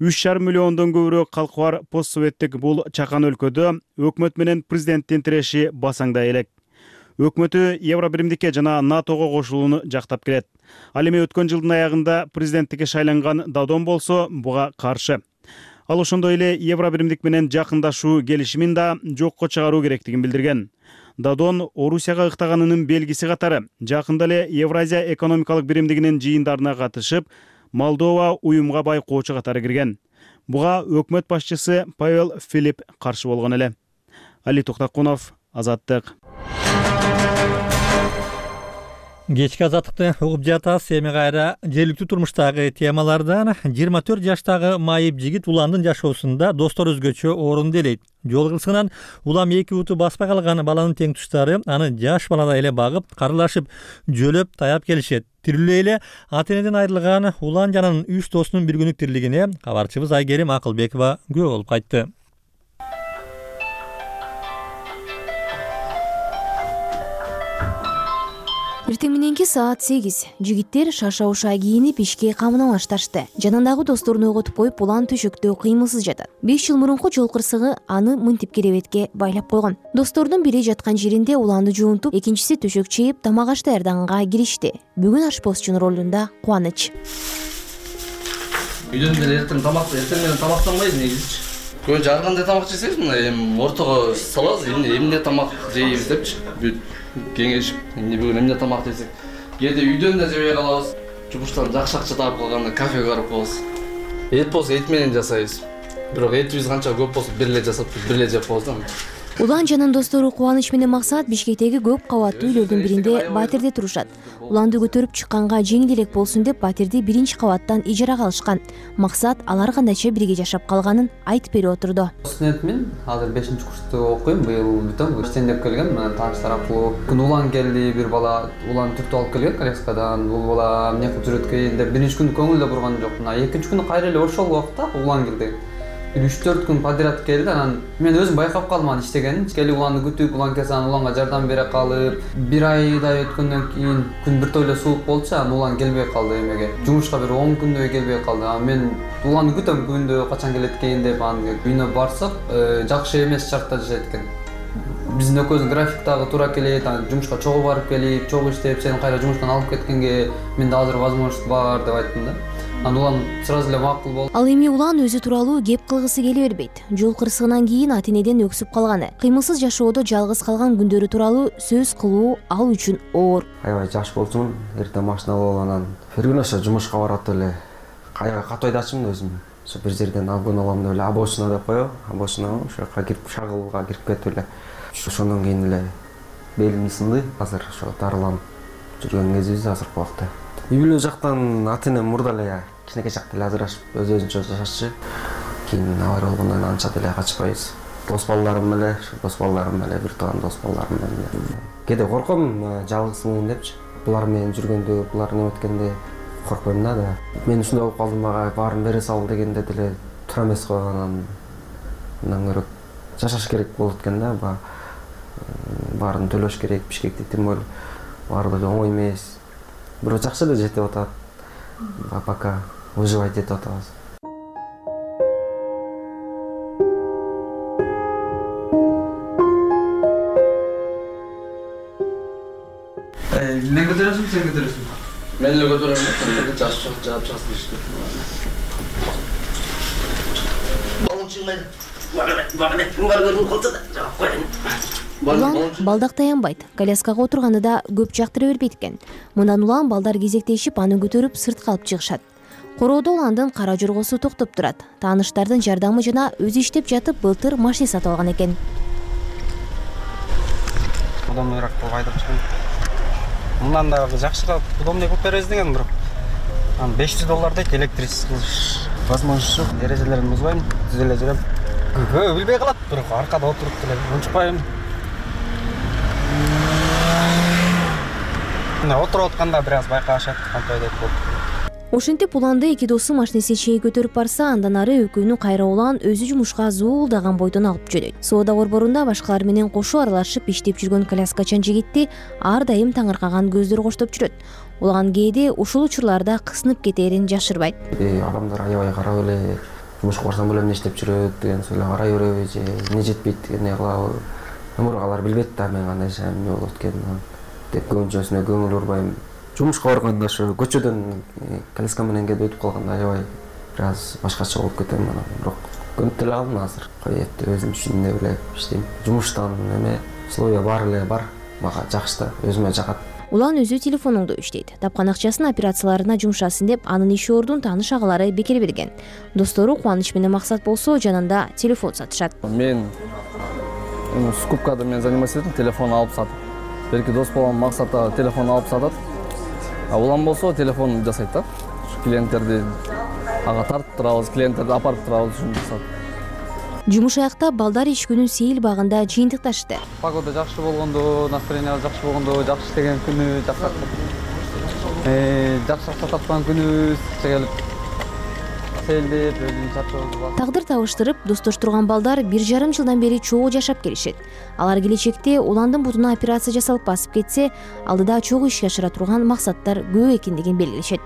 үч жарым миллиондон көбүрөөк калкы бар постсоветтик бул чакан өлкөдө өкмөт менен президенттин тиреши басаңдай элек. Өкмөтү Евробиримдикке жана НАТОго кошулууну жактап келет. Ал эми өткөн жылдын аягында президенттикке шайланган Додон болсо буга каршы. Ал ошондой эле Евробиримдик менен жакындашуу келишимин да жокко чыгаруу керектигин билдирген. Додон Орусияга ыктаганынын белгиси катары жакында эле Евразия экономикалык биримдигинин жыйындарына катышып, Молдова уюмга байкоочу катары кирген. Буга өкмөт башчысы Павел Филипп каршы болгон эле. Али Токтакунов, Азаттык. Кечки азаттыкты угуп жатасыз. Эми кайра жергиликтүү турмуштагы темалардан. жыйырма төрт жаштагы майып жигит уландын жашоосунда достор өзгөчө орун делейт. Жол кырсыгынан улам эки уту баспай калган баланын тең туштары аны жаш баладай эле багып, карылашып, жөлөп таяп келишет. Тирүүлөй эле ата энеден айрылган улан жананын үч досунун бир күнүк тирилигине кабарчыбыз Айгерим Акылбекова күбө болуп кайтты. Эртең мененки саат сегиз жигиттер шарша уша кийинип ишке камына башташты. Жанындагы досторун ойготуп коюп, улан төшөктө кыймылсыз жатат. беш жыл мурунку жол кырсыгы аны мынтип керебетке байлап койгон. Достордун бири жаткан жеринде уланды жуунтуп, экинчиси төшөк чейип, тамак аш даярдаганга киришти. Бүгүн ашпозчунун ролунда Кубаныч. Үйдөн деле эртең тамак, эртең менен тамактанбайбыз негизичи. Көбүнчө ар кандай тамак жесеңиз, мына эми ортого салабыз, эмне эмне тамак жейбиз депчи. Бүт кеңешип, эмне бүгүн эмне тамак жесек. Кээде үйдөн да жебей калабыз. Жумуштан жакшы акча таап калганда кафеге барып коебуз. Эт болсо эт менен жасайбыз. Бирок этибиз канча көп болсо бир эле жасап, бир эле жеп коебуз да. Улан жанын достору Кубаныч менен Максат Бишкектеги көп кабаттуу үйлөрдүн биринде батирде турушат. Уланды көтөрүп чыкканга жеңил элек болсун деп батирди биринчи кабаттан ижарага алышкан. Максат алар кандайча бирге жашап калганын айтып берип отурду. Студентмин, азыр бешинчи курста окуйм, быйыл бүтөм. Иштен деп келгем, мен тааныштар аркылуу. Күн улан келди, бир бала улан түртүп алып келген коляскадан. Бул бала эмне кылып жүрөт экен деп биринчи күнү көңүл да бурган жок. Мына экинчи күнү кайра эле ошол убакта улан келди. үч төрт күн подряд келди. Анан мен өзүм байкап калдым анын иштегенин. Келип уланды күтүп, улан келсе анан уланга жардам бере калып, бир айдай өткөндөн кийин күн биртойло суук болчу, анан улан келбей калды эмеге. Жумушка бир он күндөй келбей калды. Анан мен уланды күтөм, күндө качан келет экен деп анан үйүнө барсак, жакшы эмес шартта жашайт экен. Биздин экөөбүздүн график дагы туура келет, анан жумушка чогуу барып келип, чогуу иштеп, сени кайра жумуштан алып кеткенге менде азыр возможность бар деп айттым да. Анан улан сразу эле макул болду. Ал эми улан өзү тууралуу кеп кылгысы келе бербейт. Жол кырсыгынан кийин ата-энеден өксүп калганы, кыймылсыз жашоодо жалгыз калган күндөрү тууралуу сөз кылуу ал үчүн оор. Аябай жаш болчумун, эртең машина алып анан бир ошо жумушка барат эле. Аябай катуу айдачумун өзүм. Ошо бир жерден обгон алам деп эле обочина деп коебу, обочина ошо жака кирип шагылга кирип кетип эле. Ошондон кийин эле белим сынды, азыр ошо дарыланып жүргөн кезибиз азыркы убакта. Үй бүлө жактан ата-энем мурда эле кичинекей чакта эле ажырашып, өз-өзүнчө жашачы. Кийин авария болгондон кийин анча деле качпайбыз. Дос балдарым эле, дос балдарым эле, бир тууган дос балдарым эле. Кээде корком, жалгызмын депчи. Булар менен жүргөндө, булар неметкенде коркпойм да. Мен ушундай болуп калдым, мага баарын бере сал дегенде деле туура эмес го, анан мындан көрөк жашаш керек болот экен да. Баарын төлөш керек, Бишкекте тем более баардыгы оңой эмес. Бирок жакшы эле жетип атат. Пока выживать этип атабыз. Мен көтөрөсүң, сен көтөрөсүң. Мен эле көтөрөм, сен жаш жаш жаап часып ишти. Балым чыгмайды. Багыне, бар көрүн калса да жаап коеюн. Улан балдак таянбайт. Коляскага отурганды да көп жактыра бербейт экен. Мындан улан балдар кезектешип аны көтөрүп сыртка алып чыгышат. Короодо уландын кара жоргосу токтоп турат. Тааныштардын жардамы жана өзү иштеп жатып былтыр машина сатып алган экен. Удобныйраак кылып айдап чыгам. Мындан да жакшыраак удобный кылып беребиз деген бирок. Анан беш жүз доллар дейт, электрический кылыш возможность жок. Эрежелерин бузбайм, түз эле жүрөм. Көбү билбей калат, бирок аркада отуруп деле унчукпайм. Мына отуруп атканда бир аз байкашат, кантип деп болуп. Ошентип уланды эки досу машинеси чейин көтөрүп барса, андан ары экөөнү кайра улан өзү жумушка зуулдаган бойдон алып жөнөйт. Соода борборунда башкалар менен кошо аралашып иштеп жүргөн коляскачан жигитти ар дайым таңыркаган көздөр коштоп жүрөт. Улан кээде ушул учурларда кысынып кетерин жашырбайт. Адамдар аябай карап эле жумушка барсам эле эмне иштеп жүрөт деген сөйлөп карай береби же эмне жетпейт деген эмне кылабы. Бирок алар билбейт да мен кандай жашайм, эмне болот экенин деп көбүнчөсүнө көңүл бурбайм. Жумушка барганда ошо көчөдөн коляска менен келип өтүп калганда аябай бир аз башкача болуп кетем анан. Бирок көнүп деле калдым азыр. Коет өзүм үчүн деп эле иштейм. Жумуштан эме условия бар эле бар. Мага жакшы да, өзүмө жагат. Улан өзү телефонуңду иштейт. Тапкан акчасын операцияларына жумшасын деп анын иш ордун тааныш агалары бекер берген. Достору Кубаныч менен Максат болсо жанында телефон сатышат. Мен скупкада мен заниматься этем, телефон алып сатып. Берки дос балам Максатта телефон алып сатат. А улан болсо телефон жасайт да. Клиенттерди ага тартып турабыз, клиенттерди апарып турабыз ушуну жасап. Жумуш аяктап балдар иш күнүн сейил багында жыйынтыкташты. Погода жакшы болгондо, настроение жакшы болгондо, жакшы иштеген күнү, жакшы э жакшы акча тапкан күнүбүз келип селдеп өзүн чарчоодуп тагдыр табыштырып достоштурган балдар бир жарым жылдан бери чогуу жашап келишет. Алар келечекте уландын бутуна операция жасалып басып кетсе, алдыда чогуу ишке ашыра турган максаттар көп экендигин белгилешет.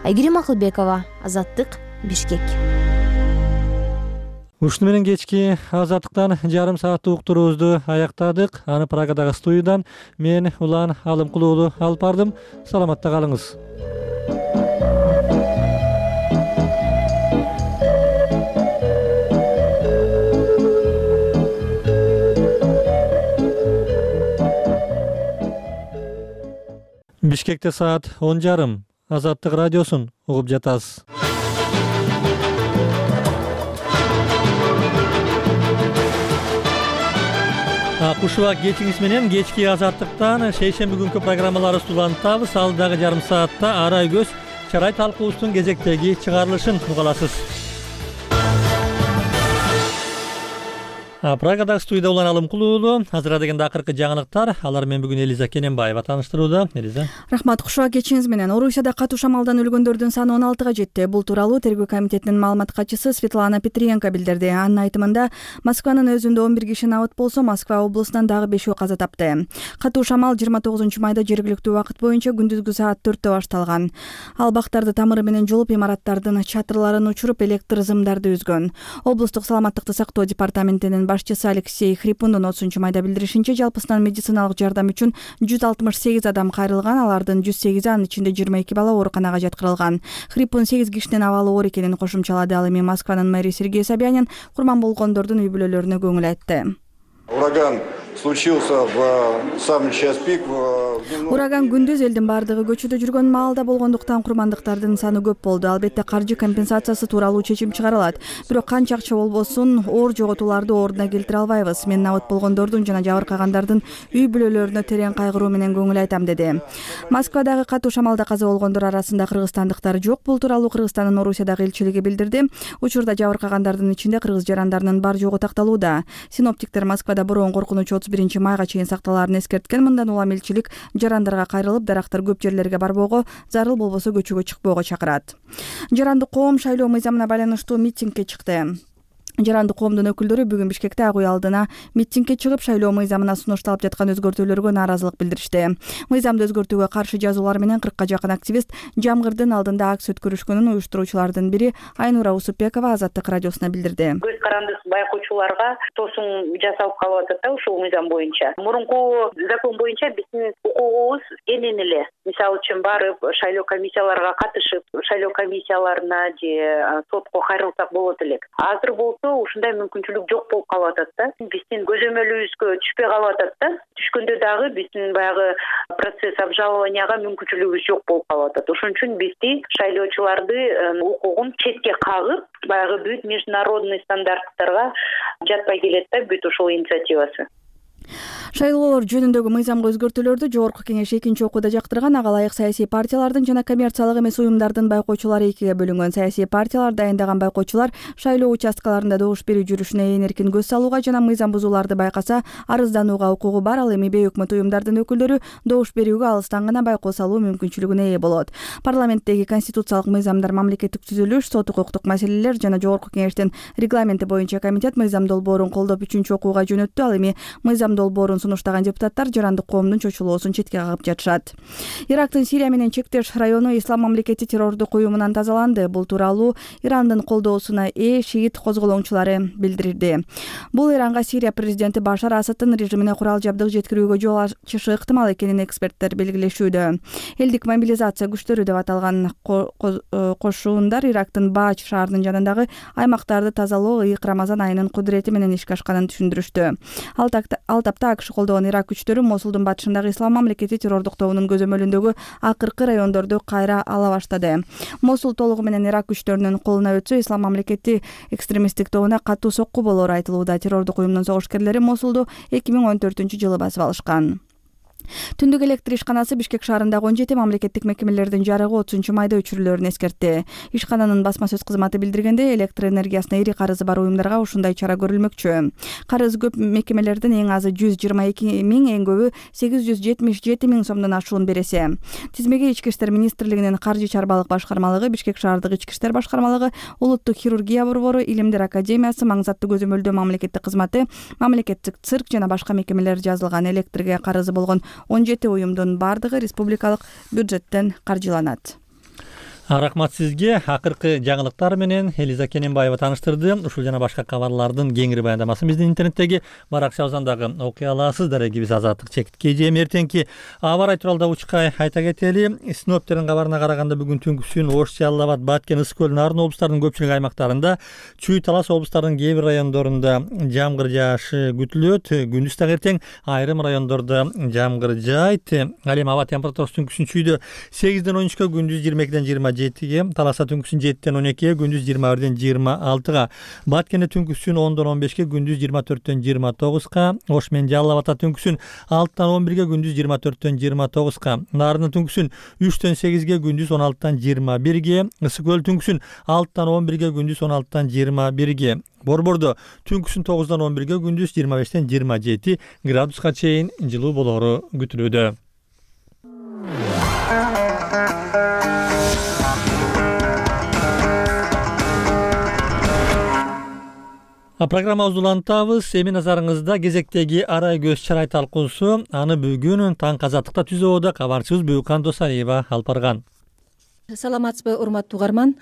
Айгерим Акылбекова, Азаттык, Бишкек. Ушуну менен кечки Азаттыктан жарым сааттык уктуруубузду аяктадык. Аны Прагадагы студиядан мен Улан Алымкулуу уулу алып бардым. Саламатта калыңыз. Бишкекте саат он жарым. Азаттык радиосун угуп жатасыз. Кушуак кечиңиз менен кечки Азаттыктан шейшемби күнкү программаларыбызды улантабыз. Алдагы жарым саатта Арай көз чарай талкуубуздун кезектеги чыгарылышын уга аласыз. Прагадагы студияда Улан Алымкулуу уулу. Азыр дегенде акыркы жаңылыктар. Алар менен бүгүн Элиза Кененбаева тааныштырууда. Элиза. Рахмат. Кушуак кечиңиз менен Орусияда катуу шамалдан өлгөндөрдүн саны он алтыга жетти. Бул тууралуу тергөө комитетинин маалымат катчысы Светлана Петренко билдирди. Анын айтымында Москванын өзүндө он бир киши набыт болсо, Москва облусунан дагы бешөө каза тапты. Катуу шамал жыйырма тогузунчу майда жергиликтүү убакыт боюнча күндүзгү саат төрттө башталган. Ал бактарды тамыры менен жолуп, имараттардын чатырларын учуруп, электр зымдарды үзгөн. Облустук саламаттыкты сактоо департаментинин башчысы Алексей Хрипундун отузунчу майда билдиришинче, жалпысынан медициналык жардам үчүн жүз алтымыш сегиз адам кайрылган, алардын жүз сегизи, анын ичинде жыйырма эки бала ооруканага жаткырылган. Хрипун сегиз кишинин абалы оор экенин кошумчалады. Ал эми Москванын мэри Сергей Собянин курман болгондордун үй бүлөлөрүнө көңүл айтты. Ураган случился в самый час пик. Ураган күндүз элдин бардыгы көчөдө жүргөн маалда болгондуктан курмандыктардын саны көп болду. Албетте каржы компенсациясы тууралуу чечим чыгарылат. Бирок канча акча болбосун, оор жоготууларды ордуна келтире албайбыз. Мен набыт болгондордун жана жабыркагандардын үй бүлөлөрүнө терең кайгыруу менен көңүл айтам, деди. Москвадагы катуу шамалда каза болгондор арасында кыргызстандыктар жок. Бул тууралуу Кыргызстандын Орусиядагы элчилиги билдирди. Учурда жабыркагандардын ичинде кыргыз жарандарынын бар жогу такталууда. Синоптиктер Москвада бороон коркунучу отуз биринчи майга чейин сакталаарын эскерткен. Мындан улам элчилик жарандарга кайрылып, дарактар көп жерлерге барбоого, зарыл болбосо көчөгө чыкпоого чакырат. Жарандык коом шайлоо мыйзамына байланыштуу митингге чыкты. Жарандык коомдун өкүлдөрү бүгүн Бишкекте Ак үй алдына митингге чыгып, шайлоо мыйзамына сунушталып жаткан өзгөртүүлөргө нааразылык билдиришти. Мыйзамды өзгөртүүгө каршы жазуулар менен кыркка жакын активист Жамгырдын алдында акция өткөрүшкөнүн уюштуруучулардын бири Айнура Усупбекова Азаттык радиосуна билдирди. Көз карандысыз байкоочуларга тосуң жасалып калып атат да ушул мыйзам боюнча. Мурунку закон боюнча биздин укугубуз кенен эле. Мисалы үчүн барып шайлоо комиссияларга катышып, шайлоо комиссияларына же сотко кайрылсак болот элек. Азыр болсо ушундай мүмкүнчүлүк жок болуп калып атат да. Биздин көзөмөлүбүзгө түшпөй калып атат да. Түшкөндө дагы биздин баягы процесс обжалованияга мүмкүнчүлүгүбүз жок болуп калып атат. Ошон үчүн бизди шайлоочуларды укугун четке кагып, баягы бүт международный стандарттарга жатпай келет да бүт ушул инициативасы. Шайлоолор жөнүндөгү мыйзамга өзгөртүүлөрдү Жогорку кеңеш экинчи окууда жактырган. Ага ылайык саясий партиялардын жана коммерциялык эмес уюмдардын байкоочулары экиге бөлүнгөн. Саясий партиялар дайындаган байкоочулар шайлоо участкаларында добуш берүү жүрүшүнө ээн эркин көз салууга жана мыйзам бузууларды байкаса арызданууга укугу бар. Ал эми бейөкмөт уюмдардын өкүлдөрү добуш берүүгө алыстан гана байкоо салуу мүмкүнчүлүгүнө ээ болот. Парламенттеги конституциялык мыйзамдар, мамлекеттик түзүлүш, сот укуктук маселелер жана Жогорку кеңештин регламенти боюнча комитет мыйзам долбоорун колдоп үчүнчү окууга жөнөттү. Ал эми мыйзам долбоорун сунуштаган депутаттар жарандык коомдун чочулоосун четке кагып жатышат. Ирактын Сирия менен чектеш району Ислам мамлекети террордук уюмунан тазаланды. Бул тууралуу Ирандын колдоосуна ээ шиит козголоңчулары билдирди. Бул Иранга Сирия президенти Башар Асаддын режимине курал жабдык жеткирүүгө жол ачышы ыктымал экенин эксперттер белгилешүүдө. Элдик мобилизация күчтөрү деп аталган кошуундар Ирактын Баач шаарынын жанындагы аймактарды тазалоо ыйык Рамазан айынын кудурети менен ишке ашканын түшүндүрүштү. Ал тапта АКШ колдогон Ирак күчтөрү Мосулдун батышындагы Ислам мамлекети террордук тобунун көзөмөлүндөгү акыркы райондорду кайра ала баштады. Мосул толугу менен Ирак күчтөрүнүн колуна өтсө, Ислам мамлекети экстремисттик тобуна катуу сокку болоору айтылууда. Террордук уюмдун согушкерлери Мосулду эки миң он төртүнчү жылы басып алышкан. Түндүк электр ишканасы Бишкек шаарындагы он жети мамлекеттик мекемелердин жарыгы отузунчу майда өчүрүлөрүн эскертти. Ишкананын басма сөз кызматы билдиргенде, электр энергиясына ири карызы бар уюмдарга ушундай чара көрүлмөкчү. Карыз көп мекемелердин эң азы жүз жыйырма эки миң, эң көбү сегиз жүз жетимиш жети миң сомдон ашуун бересе. Тизмеге Ички иштер министрлигинин каржы чарбалык башкармалыгы, Бишкек шаардык ички иштер башкармалыгы, Улуттук хирургия борбору, Илимдер академиясы, Маңзаттуу көзөмөлдөө мамлекеттик кызматы, мамлекеттик цирк жана башка мекемелер жазылган. Электрге карызы болгон он жети уюмдун бардыгы республикалык бюджеттен каржыланат. Рахмат сизге. Акыркы жаңылыктар менен Элиза Кененбаева тааныштырды. Ушул жана башка кабарлардын кеңири баяндамасын биздин интернеттеги Баракча Озондагы окуй аласыз. Дарегибиз Азаттык Чекитке жем эртеңки аба ырай тууралуу да учкай айта кетели. Синоптиктердин кабарына караганда бүгүн түнкүсүн Ош, Жалал Абад, Баткен, Ысык көл, Нарын облустарынын көпчүлүк аймактарында, Чүй, Талас облустарынын кээ бир райондорунда жамгыр жаашы күтүлөт. Күндүз дагы эртең айрым райондордо жамгыр жаайт. Ал эми аба температурасы түнкүсүн Чүйдө сегизден он үчкө, күндүз жыйырма экиден жыйырма жетиге, Таласа түнкүсүн жетиден он экиге, күндүз жыйырма бирден жыйырма алтыга, Баткенде түнкүсүн ондон он бешке, күндүз жыйырма төрттөн жыйырма тогузга, Ош менен Жалал Абадта түнкүсүн алтыдан он бирге, күндүз жыйырма төрттөн жыйырма тогузга, Нарында түнкүсүн үчтөн сегизге, күндүз он алтыдан жыйырма бирге, Ысык көл түнкүсүн алтыдан он бирге, күндүз он алтыдан жыйырма бирге, Борбордо түнкүсүн тогуздан он бирге, күндүз жыйырма бештен жыйырма жети градуска чейин жылуу болоору күтүлүүдө. Программабызды улантабыз. Эми назарыңызда кезектеги арай көз чарай талкуусу. Аны бүгүн таң Азаттыкта түзөөдө кабарчыбыз Бүйкан Досалиева алып барган. Саламатсызбы, урматтуу угарман.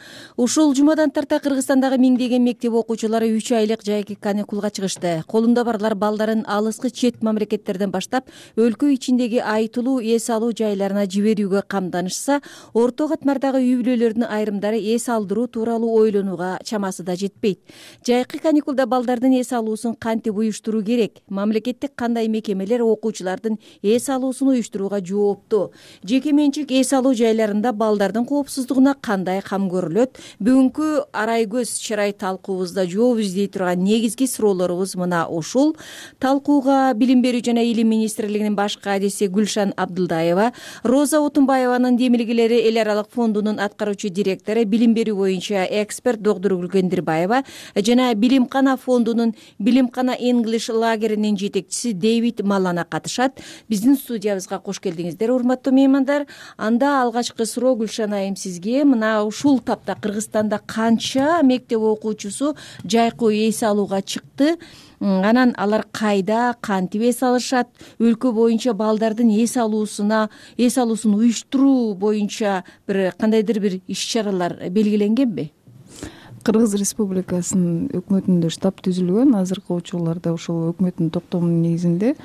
Ушул жумадан тарта Кыргызстандагы миңдеген мектеп окуучулары үч айлык жайкы каникулга чыгышты. Колунда барлар балдарын алыскы чет мамлекеттерден баштап өлкө ичиндеги айтылуу эс алуу жайларына жиберүүгө камданышса, орто катмардагы үй бүлөлөрдүн айрымдары эс алдыруу тууралуу ойлонууга чамасы да жетпейт. Жайкы каникулда балдардын эс алуусун кантип уюштуруу керек? Мамлекеттик кандай мекемелер окуучулардын эс алуусун уюштурууга жооптуу? Жеке менчик эс алуу жайларында балдардын коопсуздугуна кандай кам көрүлөт? Бүгүнкү арай көз чарай талкуубузда жооп издей турган негизги суроолорубуз мына ушул. Талкууга Билим берүү жана Илим министрлигинин баш кадиси Гүлшан Абдылдаева, Роза Утунбаеванын демилгелери эл аралык фондунун аткаруучу директору, билим берүү боюнча эксперт доктор Гүлгендирбаева жана Билимкана фондунун Билимкана English лагеринин жетекчиси Дэвид Малана катышат. Биздин студиябызга кош келдиңиздер, урматтуу меймандар. Анда алгачкы суроо Гүлшан айым сизге, мына ушул тапта Кыргызстанда канча мектеп окуучусу жайкы эс алууга чыкты? Анан алар кайда, кантип эс алышат? Өлкө боюнча балдардын эс алуусуна, эс алуусун уюштуруу боюнча бир кандайдыр бир иш-чаралар белгиленгенби? Кыргыз Республикасынын өкмөтүндө штаб түзүлгөн. Азыркы учурларда ушул өкмөттүн токтомунун негизинде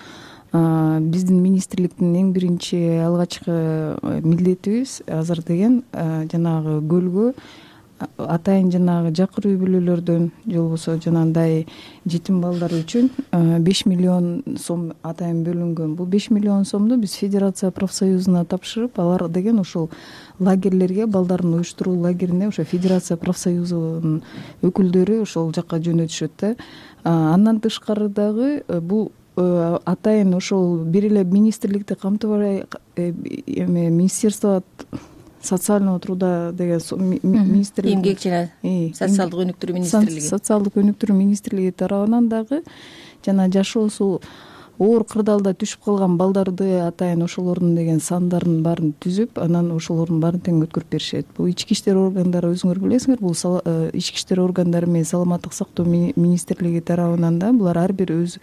биздин министрликтин эң биринчи алгачкы милдетибиз азыр деген жанагы көлгө атайын жанагы жакыр үй бүлөлөрдөн же болбосо жанагындай жетим балдар үчүн беш миллион сом атайын бөлүнгөн. Бул беш миллион сомду биз Федерация профсоюзуна тапшырып, алар деген ушул лагерлерге, балдарын уюштуруу лагерине ошо Федерация профсоюзунун өкүлдөрү ошол жакка жөнөтүшөт да. Андан тышкары дагы бул атайын ошол бир эле министрликти камтыбай эме министерство социального труда деген министрлик, эмгек жана социалдык өнүктүрүү министрлиги социалдык өнүктүрүү министрлиги тарабынан дагы жана жашоосу оор кырдаалда түшүп калган балдарды атайын ошолордун деген сандарын баарын түзүп, анан ошолордун баарын тең өткөрүп беришет. Бул ички иштер органдары, өзүңөр билесиңер, бул ички иштер органдары менен саламаттык сактоо министрлиги тарабынан да булар ар бир өз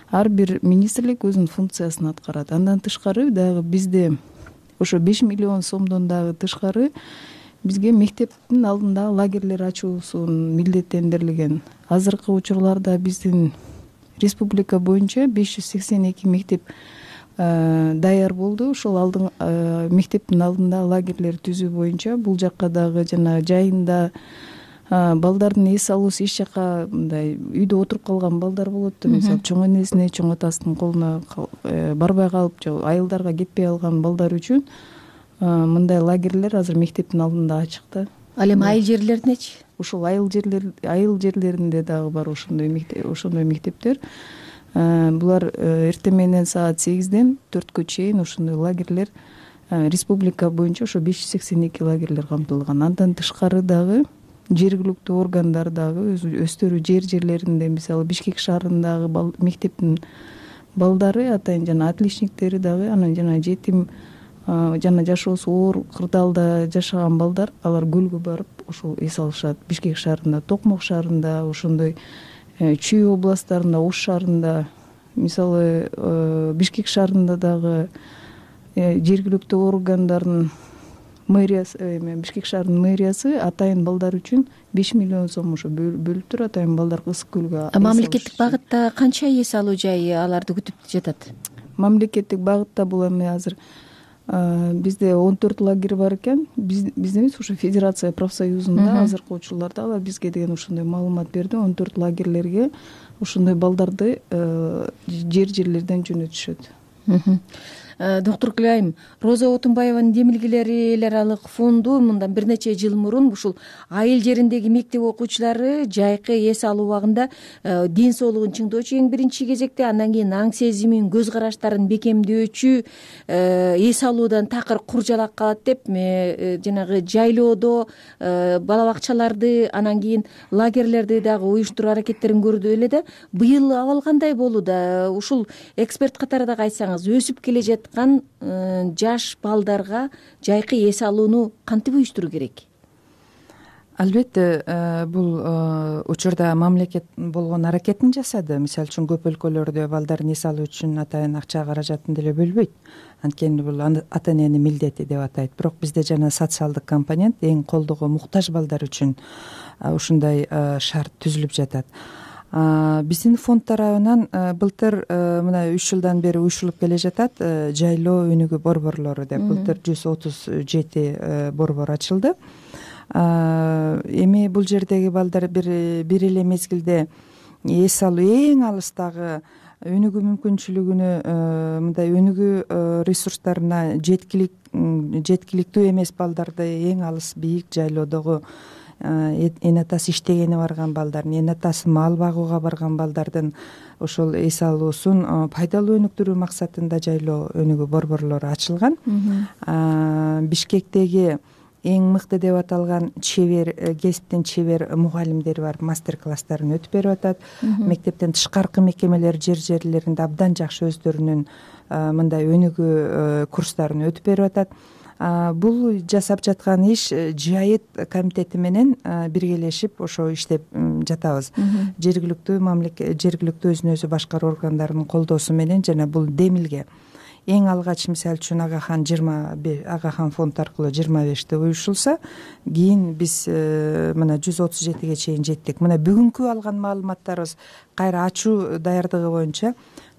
ар бир министрлик өзүнүн функциясын аткарат. Андан тышкары дагы бизде ошо беш миллион сомдон дагы тышкары бизге мектептин алдында лагерлер ачуусун милдеттендирилген. Азыркы учурларда биздин республика боюнча беш жүз сексен эки мектеп даяр болду. Ошол алдын мектептин алдында лагерлер түзүү боюнча бул жакка дагы жана жайында балдардын эс алуусу эч жака мындай үйдө отуруп калган балдар болот да, мисалы чоң энесине, чоң атасынын колуна барбай калып же айылдарга кетпей алган балдар үчүн мындай лагерлер азыр мектептин алдында ачык да. Ал эми айыл жерлеринечи? Ушул айыл жерлер айыл жерлеринде дагы бар ошондой мектеп, ошондой мектептер. булар эртең менен саат сегизден төрткө чейин ушундай лагерлер республика боюнча ошо беш жүз сексен эки лагерлер камтылган. Андан тышкары дагы жергиликтүү органдар дагы өздөрү жер жерлеринде, мисалы Бишкек шаарындагы мектептин балдары, атайын жана отличниктери дагы, анан жана жетим жана жашоосу оор кырдаалда жашаган балдар, алар көлгө барып ошол эс алышат. Бишкек шаарында, Токмок шаарында, ошондой Чүй областарында, Ош шаарында, мисалы Бишкек шаарында дагы жергиликтүү органдардын мэриясы, Бишкек шаарынын мэриясы атайын балдар үчүн беш миллион сом ошо бөлүптүр. Атайын балдар ысык көлгө. Мамлекеттик багытта канча эс алуу жайы аларды күтүп жатат? Мамлекеттик багытта бул эми азыр бизде он төрт лагерь бар экен. Бизде эмес, ошо Федерация профсоюзунда азыркы учурларда алар бизге деген ушундай маалымат берди. он төрт лагерлерге ушундай балдарды жер жерлерден жөнөтүшөт. Доктор Гүлайым, Роза Отунбаеванын демилгелери эл аралык фонду мындан бир нече жыл мурун ушул айыл жериндеги мектеп окуучулары жайкы эс алуу убагында ден соолугун чыңдоочу эң биринчи кезекте, андан кийин аң сезимин, көз караштарын бекемдөөчү эс алуудан такыр кур жалак калат деп жанагы жайлоодо бала бакчаларды, анан кийин лагерлерди дагы уюштуруу аракеттерин көрдү эле да. Быйыл абал кандай болууда? Ушул эксперт катары дагы айтсаңыз, өсүп келе жаткан жаш балдарга жайкы эс алууну кантип уюштуруу керек? Албетте, бул учурда мамлекет болгон аракетин жасады. Мисалы үчүн көп өлкөлөрдө балдардын эс алуу үчүн атайын акча каражатын деле бөлбөйт. Анткени бул ата эненин милдети деп атайт. Бирок бизде жана социалдык компонент, эң колдоого муктаж балдар үчүн ушундай шарт түзүлүп жатат. Биздин фонд тарабынан былтыр мына үч жылдан бери уюшулуп келе жатат жайлоо өнүгүү борборлору деп. Былтыр жүз отуз жети борбор ачылды. Эми бул жердеги балдар бир эле мезгилде эс алуу эң алыстагы өнүгүү мүмкүнчүлүгүнө, мындай өнүгүү ресурстарына жеткиликтүү эмес балдарды эң алыс бийик жайлоодогу эне атасы иштегени барган балдардын, эне атасы мал багууга барган балдардын ошол эс алуусун пайдалуу өнүктүрүү максатында жайлоо өнүгүү борборлору ачылган. Бишкектеги эң мыкты деп аталган чебер, кесиптин чебер мугалимдери бар, мастер класстарын өтүп берип атат. Мектептен тышкаркы мекемелер жер жерлеринде абдан жакшы өздөрүнүн мындай өнүгүү курстарын өтүп берип атат. Бул жасап жаткан иш жайыт комитети менен биргелешип ошо иштеп жатабыз. Жергиликтүү мамлекет, жергиликтүү өзүн өзү башкаруу органдарынын колдоосу менен жана бул демилге эң алгач мисалы үчүн Агахан жыйырма Агахан фонд аркылуу жыйырма беште уюшулса, кийин биз мына жүз отуз жетиге чейин жеттик. Мына бүгүнкү алган маалыматтарыбыз кайра ачуу даярдыгы боюнча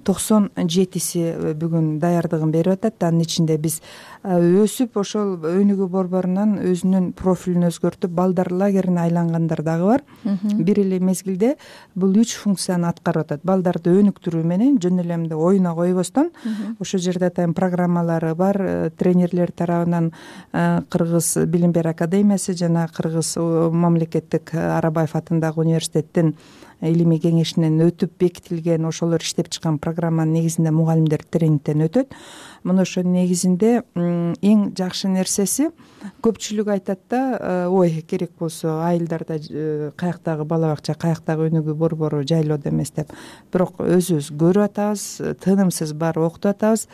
токсон жетиси бүгүн даярдыгын берип атат. Анын ичинде биз өсүп ошол өнүгүү борборунан өзүнүн профилин өзгөртүп балдар лагерине айлангандар дагы бар. Бир эле мезгилде бул үч функцияны аткарып атат. Балдарды өнүктүрүү менен жөн эле эмне оюна койбостон ошол жерде атайын программалары бар. Тренерлер тарабынан Кыргыз билим берүү академиясы жана Кыргыз мамлекеттик Арабаев атындагы университеттин илимий кеңешинен өтүп бекитилген ошолор иштеп чыккан программанын негизинде мугалимдер тренингден өтөт. Мына ошо негизинде эң жакшы нерсеси, көпчүлүк айтат да, ой керек болсо айылдарда каяктагы бала бакча, каяктагы өнүгүү борбору жайлоодо эмес деп. Бирок өзүбүз көрүп атабыз, тынымсыз барып окутуп атабыз.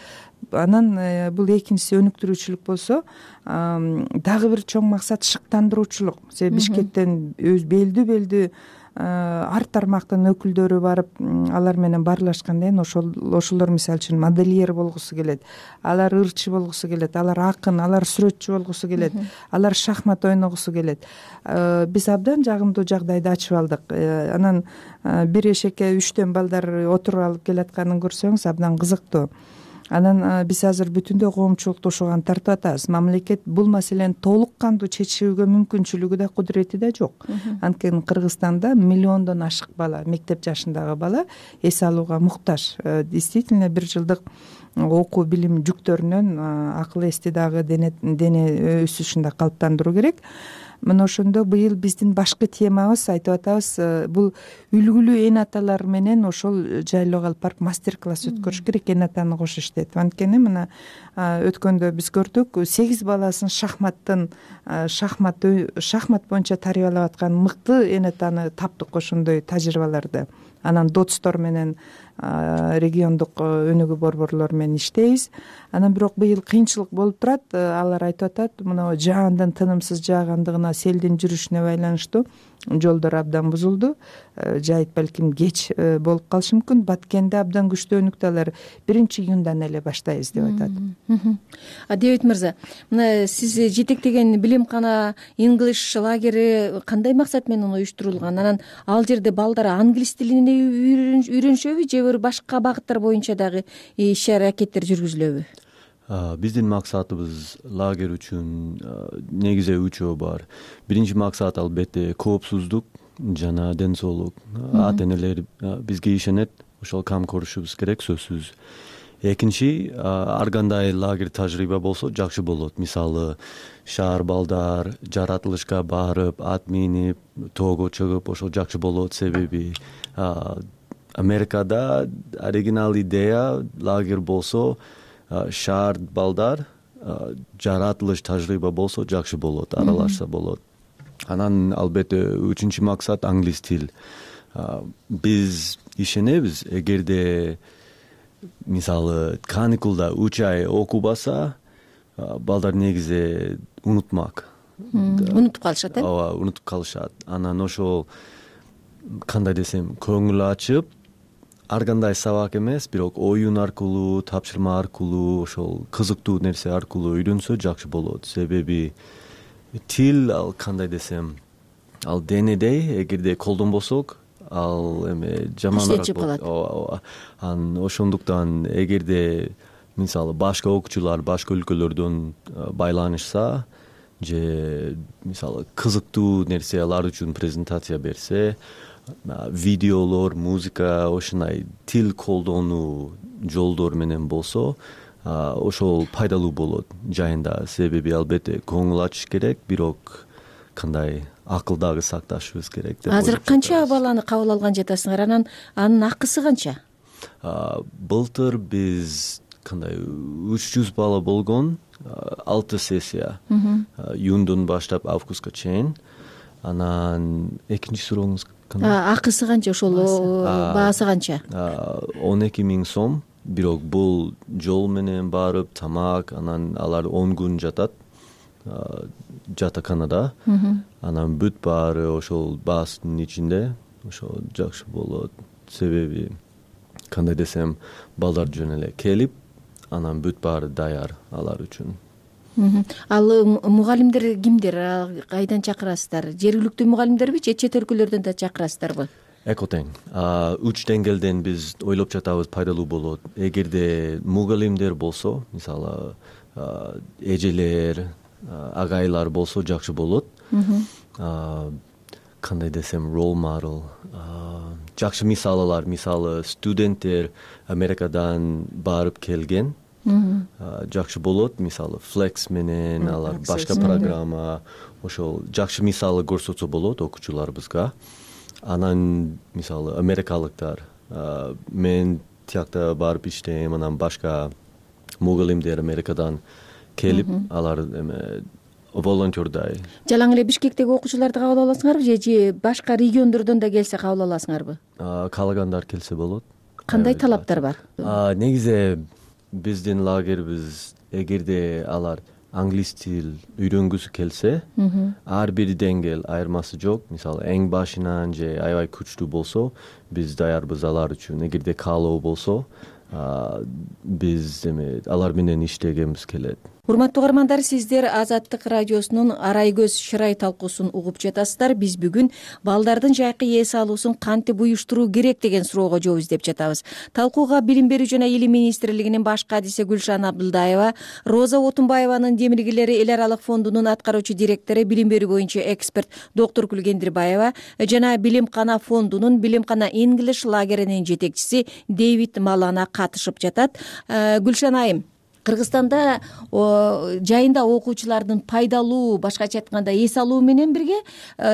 Анан бул экинчиси өнүктүрүүчүлүк болсо, дагы бир чоң максат шыктандыруучулук. Себеби Бишкектен өз белдүү-белдүү ар тармактын өкүлдөрү барып алар менен баарлашкандан кийин ошол ошолор мисалы үчүн модельер болгусу келет, алар ырчы болгусу келет, алар акын, алар сүрөтчү болгусу келет, алар шахмат ойногусу келет. Биз абдан жагымдуу жагдайды ачып алдык. Анан бир эшекке үчтөн балдар отуруп алып келатканын көрсөңүз абдан кызыктуу. Анан биз азыр бүтүндөй коомчулукту ошого тартып атабыз. Мамлекет бул маселени толук кандуу чечүүгө мүмкүнчүлүгү да, кудурети да жок. Анткени Кыргызстанда миллиондон ашык бала, мектеп жашындагы бала эс алууга муктаж. Действительно бир жылдык окуу билим жүктөрүнөн акыл эсти дагы дене өсүшүн да калыптандыруу керек. мына ошондо быйыл биздин башкы темабыз айтып атабыз, бул үлгүлүү эн аталар менен ошол жайлоого алып барып мастер класс өткөрүш керек, эн атаны кошуш деп. Анткени мына өткөндө биз көрдүк, сегиз баласын шахматтын шахмат шахмат боюнча тарбиялап аткан мыкты эн атаны таптык ошондой тажрыйбаларды. Анан дотстор менен региондук өнүгүү борборлору менен иштейбиз. Анан бирок быйыл кыйынчылык болуп турат. Алар айтып атат, мына жаандын тынымсыз жаагандыгына, селдин жүрүшүнө байланыштуу жолдор абдан бузулду. Жайыт балким кеч болуп калышы мүмкүн. Баткенде абдан күчтүү өнүктү, алар биринчи июндан эле баштайбыз деп атат. Дэвид мырза, мына сиз жетектеген билимкана English лагери кандай максат менен уюштурулган? Анан ал жерде балдар англис тилин үйрөнүшөбү же башка багыттар боюнча дагы иш аракеттер жүргүзүлөбү? Биздин максатыбыз лагерь үчүн негизи үчөө бар. Биринчи максат албетте коопсуздук жана ден соолук. Ата энелер бизге ишенет, ошол кам көрүшүбүз керек, сөзсүз. Экинчи, ар кандай лагерь тажрыйба болсо жакшы болот. Мисалы, шаар балдар жаратылышка барып, ат минип, тоого чыгып, ошол жакшы болот. Себеби Америкада оригинал идея лагерь болсо, шаар балдар жаратылыш тажрыйба болсо жакшы болот, аралашса болот. Анан албетте үчүнчү максат англис тил. Биз ишенебиз, эгерде мисалы каникулда үч ай окубаса, балдар негизи унутмак. Унутуп калышат, э? Ооба, унутуп калышат. Анан ошол кандай десем, көңүл ачып, ар кандай сабак эмес, бирок оюн аркылуу, тапшырма аркылуу, ошол кызыктуу нерсе аркылуу үйрөнсө жакшы болот. Себеби тил, ал кандай десем, ал денедей, эгерде колдонбосок, ал эме жаман иштечип калат. Ооба. Анан ошондуктан эгерде мисалы башка окуучулар башка өлкөлөрдөн байланышса, же мисалы кызыктуу нерсе алар үчүн презентация берсе, видеолор, музыка, ошондой тил колдонуу жолдор менен болсо, ошол пайдалуу болот жайында. Себеби албетте көңүл ачыш керек, бирок кандай акыл дагы сакташыбыз керек деп. Азыр канча баланы кабыл алган жатасыңар? Анан анын акысы канча? Былтыр биз кандай үч жүз бала болгон, алты сессия. Июндон баштап августка чейин. Анан экинчи сурооңуз кандай? Акысы канча, ошол баасы канча? он эки миң сом. Бирок бул жол менен барып, тамак, анан алар он күн жатат жатаканада. Анан бүт баары ошол баастын ичинде, ошол жакшы болот. Себеби кандай десем, балдар жөн эле келип, анан бүт баары даяр алар үчүн. Ал мугалимдер кимдер? Кайдан чакырасыздар? Жергиликтүү мугалимдерби же чет өлкөлөрдөн да чакырасыздарбы? Эко тең. Үч деңгээлден биз ойлоп жатабыз, пайдалуу болот. Эгерде мугалимдер болсо, мисалы эжелер, агайлар болсо жакшы болот. Кандай десем, role model, жакшы мисалалар, мисалы студенттер Америкадан барып келген, жакшы болот. Мисалы Flex менен алар башка программа, ошол жакшы мисалы көрсөтсө болот окуучуларыбызга. Анан мисалы америкалыктар, мен тиякта барып иштейм, анан башка мугалимдер Америкадан келип, алар эме волонтердай. Жалаң эле Бишкектеги окуучуларды кабыл аласыңарбы же башка региондордон да келсе кабыл аласыңарбы? Каалагандар келсе болот. Кандай талаптар бар? Негизи биздин лагерибиз, эгерде алар англис тил үйрөнгүсү келсе, ар бир деңгээл айырмасы жок. Мисалы эң башынан же аябай күчтүү болсо, биз даярбыз алар үчүн. Эгерде каалоо болсо, биз эме алар менен иштегенбиз келет. Урматтуу угармандар, сиздер Азаттык радиосунун Арай көз шырай талкуусун угуп жатасыздар. Биз бүгүн балдардын жайкы эс алуусун кантип уюштуруу керек деген суроого жооп издеп жатабыз. Талкууга Билим берүү жана Илим министрлигинин баш кадиси Гүлшан Абдылдаева, Роза Отунбаеванын Демиргилери эл аралык фондунун аткаруучу директору, билим берүү боюнча эксперт доктор Күлгендирбаева жана Билимкана фондунун Билимкана English лагеринин жетекчиси Дэвид Малана катышып жатат. Гүлшан айым, Кыргызстанда жайында окуучулардын пайдалуу, башкача айтканда эс алуу менен бирге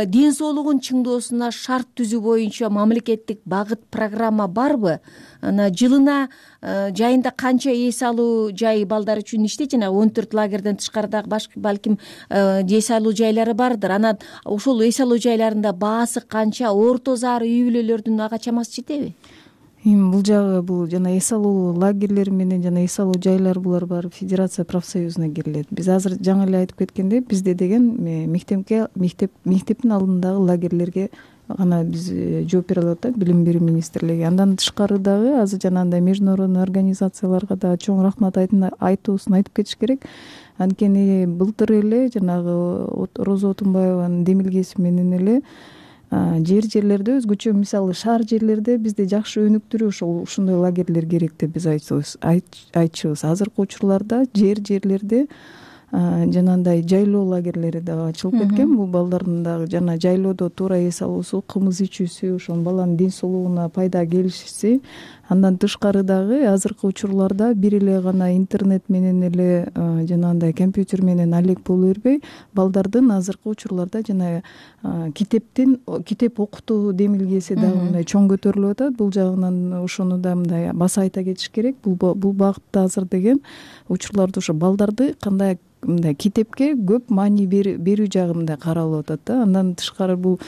ден соолугун чыңдоосуна шарт түзүү боюнча мамлекеттик багыт программа барбы? Ана жылына жайында канча эс алуу жай балдар үчүн иштейт? Жана он төрт лагерден тышкары дагы балким эс алуу жайлары бардыр. Анан ошол эс алуу жайларында баасы канча, орто заар үй бүлөлөрдүн ага чамасы жетеби? Эми бул жагы бул жана эс алуу лагерлери менен жана эс алуу жайлар булар баары федерация профсоюзуна кирилет. Биз азыр жаңы эле айтып кеткендей, бизде деген мектепке мектеп мектептин алдындагы лагерлерге гана биз жооп бере алып атат билим берүү министрлиги. Андан тышкары дагы азыр жанагындай международный организацияларга да чоң рахмат айтуусун айтып кетиш керек. Анткени былтыр эле жанагы Роза Отунбаеванын демилгеси менен эле жер жерлерде өзгөчө, мисалы шаар жерлерде бизде жакшы өнүктүрүү ошол ушундай лагерлер керек деп биз айтчубуз. Азыркы учурларда жер жерлерде жанагындай жайлоо лагерлери дагы ачылып кеткен. Бул балдардын дагы жана жайлоодо туура эс алуусу, кымыз ичүүсү, ошол баланын ден соолугуна пайда келишиси. Андан тышкары дагы азыркы учурларда бир эле гана интернет менен эле жанагындай компьютер менен алек боло бербей, балдардын азыркы учурларда жана китептин китеп окутуу демилгеси дагы мындай чоң көтөрүлүп атат. Бул жагынан ошону да мындай баса айта кетиш керек. Бул бул багытта азыр деген учурларда ошо балдарды кандай мындай китепке көп маани берүү жагы мындай каралып атат да. Андан тышкары бул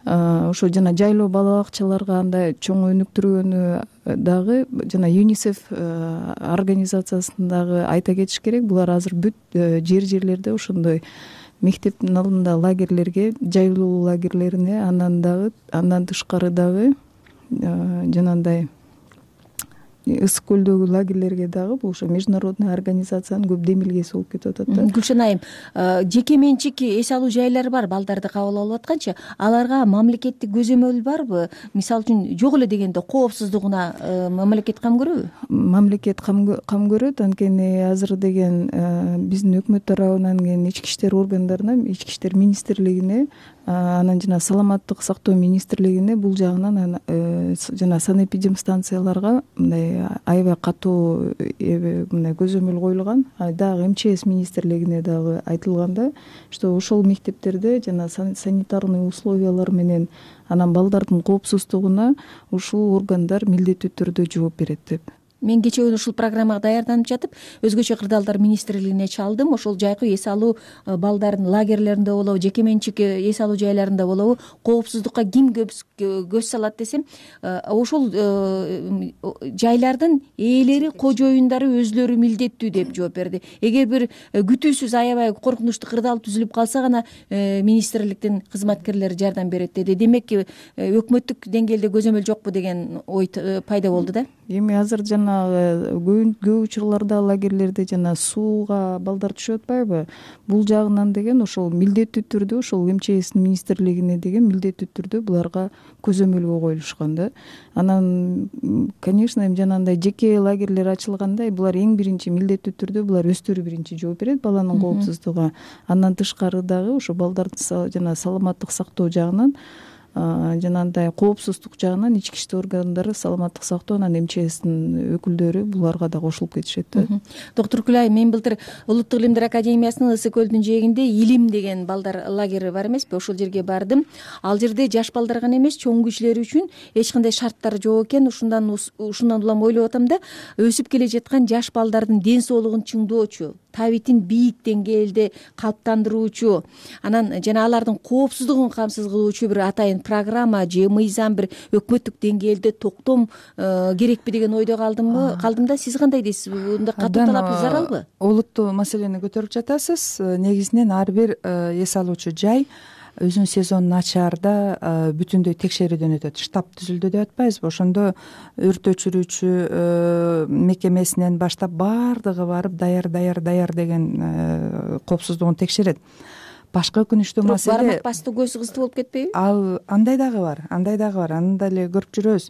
ошо жана жайлоо бала бакчаларга андай чоң өнүктүргөнү дагы жана ЮНИСЕФ организациясын дагы айта кетиш керек. Булар азыр бүт жер жерлерде ошондой мектептин алдында лагерлерге, жайлоо лагерлерине, анан дагы андан тышкары дагы жанагындай ысык көлдөгү лагерлерге дагы бул ошо международный организациянын көп демилгеси болуп кетип атат да. Гүлшан айым, жеке менчик эс алуу жайлары бар балдарды кабыл алып атканчы, аларга мамлекеттик көзөмөл барбы? Мисалы үчүн жок эле дегенде коопсуздугуна мамлекет кам көрөбү? Мамлекет кам көрөт, анткени азыр деген биздин өкмөт тарабынан келген ички иштер органдарына, ички иштер министрлигине, анан жана саламаттык сактоо министрлигине бул жагынан жана санэпидемстанцияларга мындай аябай катуу мындай көзөмөл коюлган. Дагы эм че эс министрлигине дагы айтылганда, что ошол мектептерде жана санитарный условиялар менен анан балдардын коопсуздугуна ушул органдар милдеттүү түрдө жооп берет деп. Мен кечээ күнү ушул программага даярданып жатып, өзгөчө кырдаалдар министрлигине чалдым. Ошол жайкы эс алуу балдардын лагерлеринде болобу, жеке менчик эс алуу жайларында болобу, коопсуздукка ким көз салат десем, ошол жайлардын ээлери, кожоюндары өзлөрү милдеттүү деп жооп берди. Эгер бир күтүүсүз аябай коркунучтуу кырдаал түзүлүп калса гана министрликтин кызматкерлери жардам берет деди. Демек, өкмөттүк деңгээлде көзөмөл жокпу деген ой пайда болду да. Эми азыр жана көп учурларда лагерлерде жана сууга балдар түшүп атпайбы? Бул жагынан деген ошол милдеттүү түрдө ошол эм че эстин министрлигине деген милдеттүү түрдө буларга көзөмөлгө коюлушкан да. Анан, конечно, эми жанагындай жеке лагерлер ачылганда булар эң биринчи милдеттүү түрдө булар өздөрү биринчи жооп берет баланын коопсуздугуна. Андан тышкары дагы ошо балдардын жана саламаттык сактоо жагынан жанагындай коопсуздук жагынан ички иштер органдары, саламаттык сактоо анан эм че эстин өкүлдөрү буларга да кошулуп кетишет да. Доктур Күлай, мен былтыр Улуттук илимдер академиясынын Ысык көлдүн жээгинде Илим деген балдар лагери бар эмеспи? Ошол жерге бардым. Ал жерде жаш балдар гана эмес, чоң кишилер үчүн эч кандай шарттар жок экен. Ушундан ушундан улам ойлоп атам да, өсүп келе жаткан жаш балдардын ден соолугун чыңдоочу, табитин бийик деңгээлде калыптандыруучу, анан жана алардын коопсуздугун камсыз кылуучу бир атайын программа же мыйзам бир өкмөттүк деңгээлде токтом керекпи деген ойдо калдымбы? Калдым да, сиз кандай дейсиз? Мындай катуу талап заралбы? Олуттуу маселени көтөрүп жатасыз. Негизинен ар бир эс алуучу жай өзүнүн сезонун ачаарда бүтүндөй текшерүүдөн өтөт. Штаб түзүлдү деп атпайбызбы? Ошондо өрт өчүрүүчү мекемесинен баштап баардыгы барып даяр даяр даяр деген коопсуздугун текшерет. Башка өкүнүчтүү маселе, бармак бастуу көз кызды болуп кетпейби? Ал андай дагы бар, андай дагы бар. Аны деле көрүп жүрөбүз.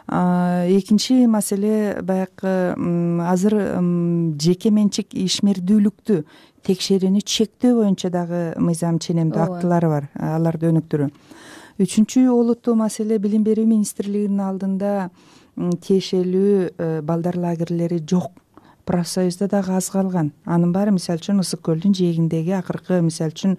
Экинчи маселе, баягы азыр жеке менчик ишмердүүлүктү текшерүүнү чектөө боюнча дагы мыйзам ченемдүү актылары бар, аларды өнүктүрүү. Үчүнчү олуттуу маселе, билим берүү министрлигинин алдында тиешелүү балдар лагерлери жок профсоюзда дагы аз калган. Анын баары мисалы үчүн Ысык көлдүн жээгиндеги акыркы мисалы үчүн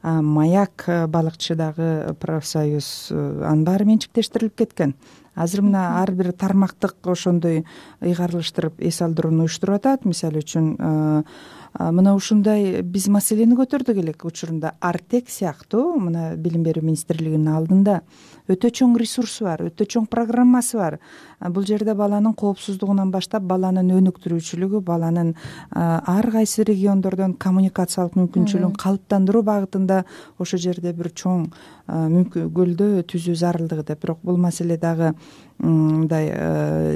Маяк балыкчыдагы профсоюз, анын баары менчиктештирилип кеткен. Азыр мына ар бир тармактык ошондой ыйгарылыштырып эс алдырууну уюштуруп атат. Мисалы үчүн мына ушундай биз маселени көтөрдүк элек учурунда. Артек сыяктуу мына билим берүү министрлигинин алдында өтө чоң ресурсу бар, өтө чоң программасы бар. Бул жерде баланын коопсуздугунан баштап баланын өнүктүрүүчүлүгү, баланын ар кайсы региондордон коммуникациялык мүмкүнчүлүгүн калыптандыруу багытында ошол жерде бир чоң көлдөө түзүү зарылдыгы деп. Бирок бул маселе дагы мындай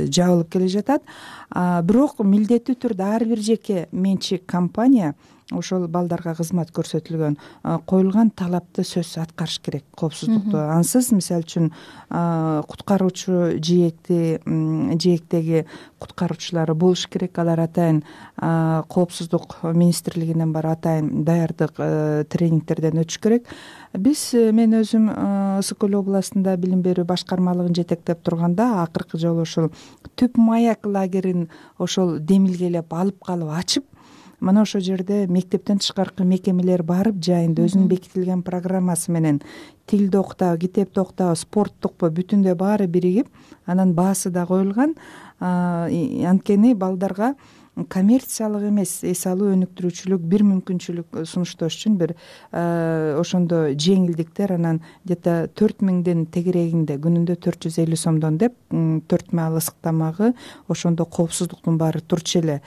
жабылып келе жатат. Бирок милдеттүү түрдө ар бир жеке менчик компания ошол балдарга кызмат көрсөтүлгөн коюлган талапты сөзсүз аткарыш керек, коопсуздукту. Ансыз мисалы үчүн куткаруучу жээкти жээктеги куткаруучулары болуш керек. Алар атайын коопсуздук министрлигинен бар атайын даярдык тренингтерден өтүш керек. Биз мен өзүм Ысык көл областында билим берүү башкармалыгын жетектеп турганда акыркы жолу ошол Түп Маяк лагерин ошол демилгелеп алып калып ачып, мына ошол жерде мектептен тышкаркы мекемелер барып жайында өзүнүн бекитилген программасы менен тилди окутабы, китепти окутабы, спорттукпу бүтүндөй баары биригип, анан баасы да коюлган. Анткени балдарга коммерциялык эмес, эс алуу, өнүктүрүүчүлүк бир мүмкүнчүлүк сунуштош үчүн бир ошондо жеңилдиктер, анан где-то төрт миңдин тегерегинде, күнүндө төрт жүз элүү сомдон деп төрт маал ысык тамагы, ошондо коопсуздуктун баары турчу эле.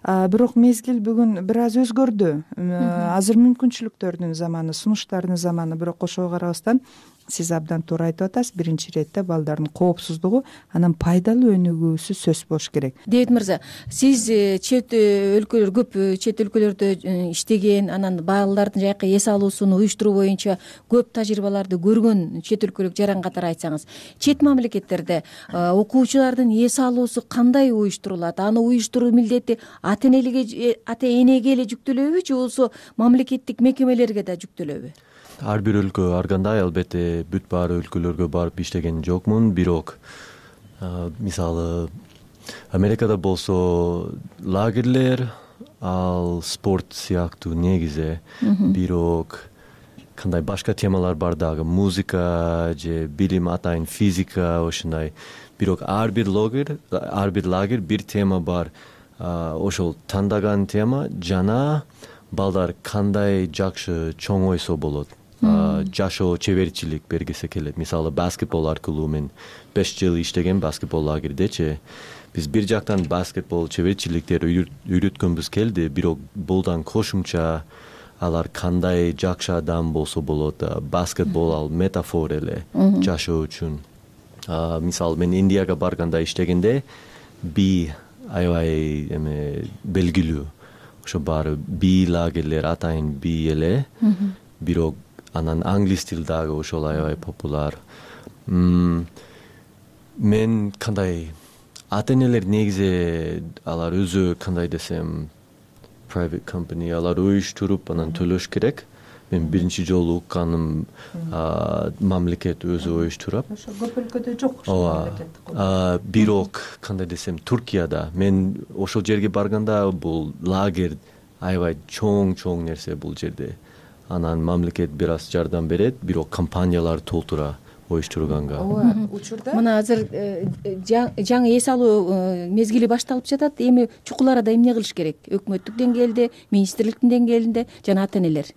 Бирок мезгил бүгүн бир аз өзгөрдү. Азыр мүмкүнчүлүктөрдүн заманы, сунуштардын заманы. Бирок ошого карабастан сиз абдан туура айтып атасыз. Биринчи иретте балдардын коопсуздугу, анан пайдалуу өнүгүүсү сөз болуш керек. Дэвид мырза, сиз чет өлкөлөр, көп чет өлкөлөрдө иштеген, анан балдардын жайкы эс алуусуну уюштуруу боюнча көп тажрыйбаларды көргөн чет өлкөлүк жаран катары айтсаңыз, чет мамлекеттерде окуучулардын эс алуусу кандай уюштурулат? Аны уюштуруу милдети ата энелиге, ата энеге эле жүктөлөбү же болбосо мамлекеттик мекемелерге да жүктөлөбү? Ар бир өлкө ар кандай, албетте бүт баары өлкөлөргө барып иштеген жокмун. Бирок мисалы Америкада болсо лагерлер ал спорт сыяктуу негизи. Бирок кандай башка темалар бар дагы, музыка же билим, атайын физика, ошондой. Бирок ар бир лагер, ар бир лагер бир тема бар. Ошол тандаган тема жана балдар кандай жакшы чоң ойсо болот. Жашоо чеберчилик бергисе келет. Мисалы баскетбол аркылуу мен беш жыл иштеген баскетбол лагердечи. Биз бир жактан баскетбол чеберчиликтер үйрөткөнбүз келди, бирок булдан кошумча алар кандай жакшы адам болсо болот. Баскетбол ал метафор эле жашоо үчүн. Мисалы мен Индияга барганда иштегенде би аябай эме белгилүү. Ошо баары би лагерлер атайын би эле. Бирок анан англис тил дагы ошол аябай популяр. Мен кандай ата энелер негизи алар өзү кандай десем private company алар уюштуруп анан төлөш керек. Мен биринчи жолу укканым мамлекет өзү уюштурат. Ошо көп өлкөдө жок. Ооба. Бирок кандай десем Туркияда мен ошол жерге барганда бул лагерь аябай чоң-чоң нерсе бул жерде. Анан мамлекет бир аз жардам берет, бирок компаниялар толтура уюштурганга. Ооба, учурда мына азыр жаңы эс алуу мезгили башталып жатат. Эми чукул арада эмне кылыш керек? Өкмөттүк деңгээлде, министрликтин деңгээлинде жана ата энелер.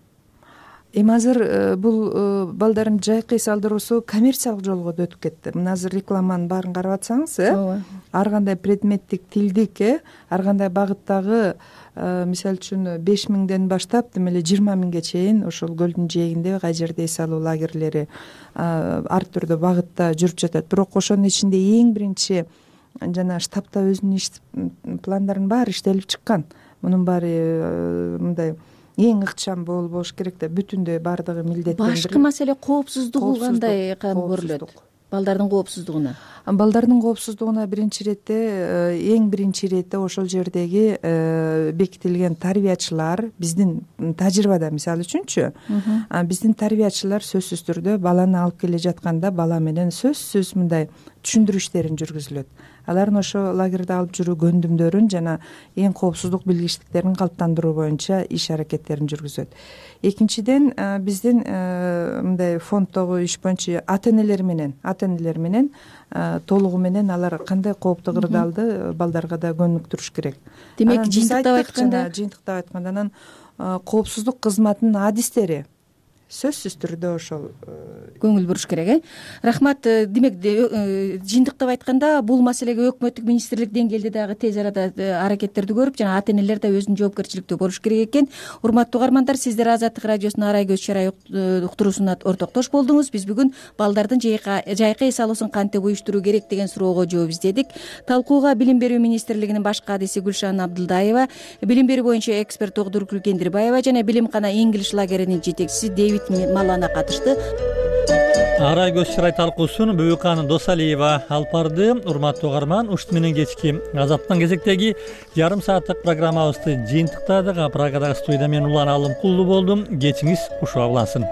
Эми азыр бул балдардын жайкы эс алдыруусу коммерциялык жолго да өтүп кетти. Мына азыр рекламанын баарын карап атсаңыз, э, ар кандай предметтик, тилдик, э, ар кандай багыттагы, мисалы үчүн беш миңден баштап деме эле жыйырма миңге чейин ошол көлдүн жээгинде кай жерде эс алуу лагерлери ар түрдүү багытта жүрүп жатат. Бирок ошонун ичинде эң биринчи жана штабта өзүнүн иш пландарын баары иштелип чыккан. Мунун баары мындай эң ыкчам болуш керек да, бүтүндөй баардыгы милдеттендирилип. Башкы маселе коопсуздугу кандай көрүлөт? Балдардын коопсуздугуна. Балдардын коопсуздугуна биринчи иретте, эң биринчи иретте ошол жердеги бекитилген тарбиячылар, биздин тажрыйбада мисалы үчүнчү, биздин тарбиячылар сөзсүз түрдө баланы алып келе жатканда бала менен сөзсүз мындай түшүндүрүү иштерин жүргүзүлөт. Алардын ошо лагерде алып жүрүү көндүмдөрүн жана эң коопсуздук билгичтиктерин калыптандыруу боюнча иш аракеттерин жүргүзөт. Экинчиден биздин мындай фонддогу иш боюнча ата энелер менен ата энелер менен толугу менен алар кандай кооптуу кырдаалды балдарга да көнүктүрүш керек. Демек жыйынтыктап айтканда жыйынтыктап айтканда анан коопсуздук кызматынын адистери сөзсүз түрдө ошол көңүл буруш керек, э? Рахмат. Демек жыйынтыктап айтканда бул маселеге өкмөттүк министрлик деңгээлде дагы тез арада аракеттерди көрүп, жана ата энелер да өзүнүн жоопкерчиликтүү болуш керек экен. Урматтуу угармандар, сиздер Азаттык радиосунун арай көз чарай уктуруусуна ортоктош болдуңуз. Биз бүгүн балдардын жайкы эс алуусун кантип уюштуруу керек деген суроого жооп издедик. Талкууга Билим берүү министрлигинин баш кадиси Гүлшан Абдылдаева, билим берүү боюнча эксперт Тогдуркүл Кендирбаева жана Билимкана English лагеринин жетекчиси Дэвид Малана катышты. Арай көз чарай талкуусун Бөйкан Досалиева алып барды. Урматтуу угарман, ушт менен кечки азаптын кезектеги жарым сааттык программабызды жыйынтыктадык. Прагадагы студияда мен Улан Алымкулду болдум. Кечиңиз кушуа улансын.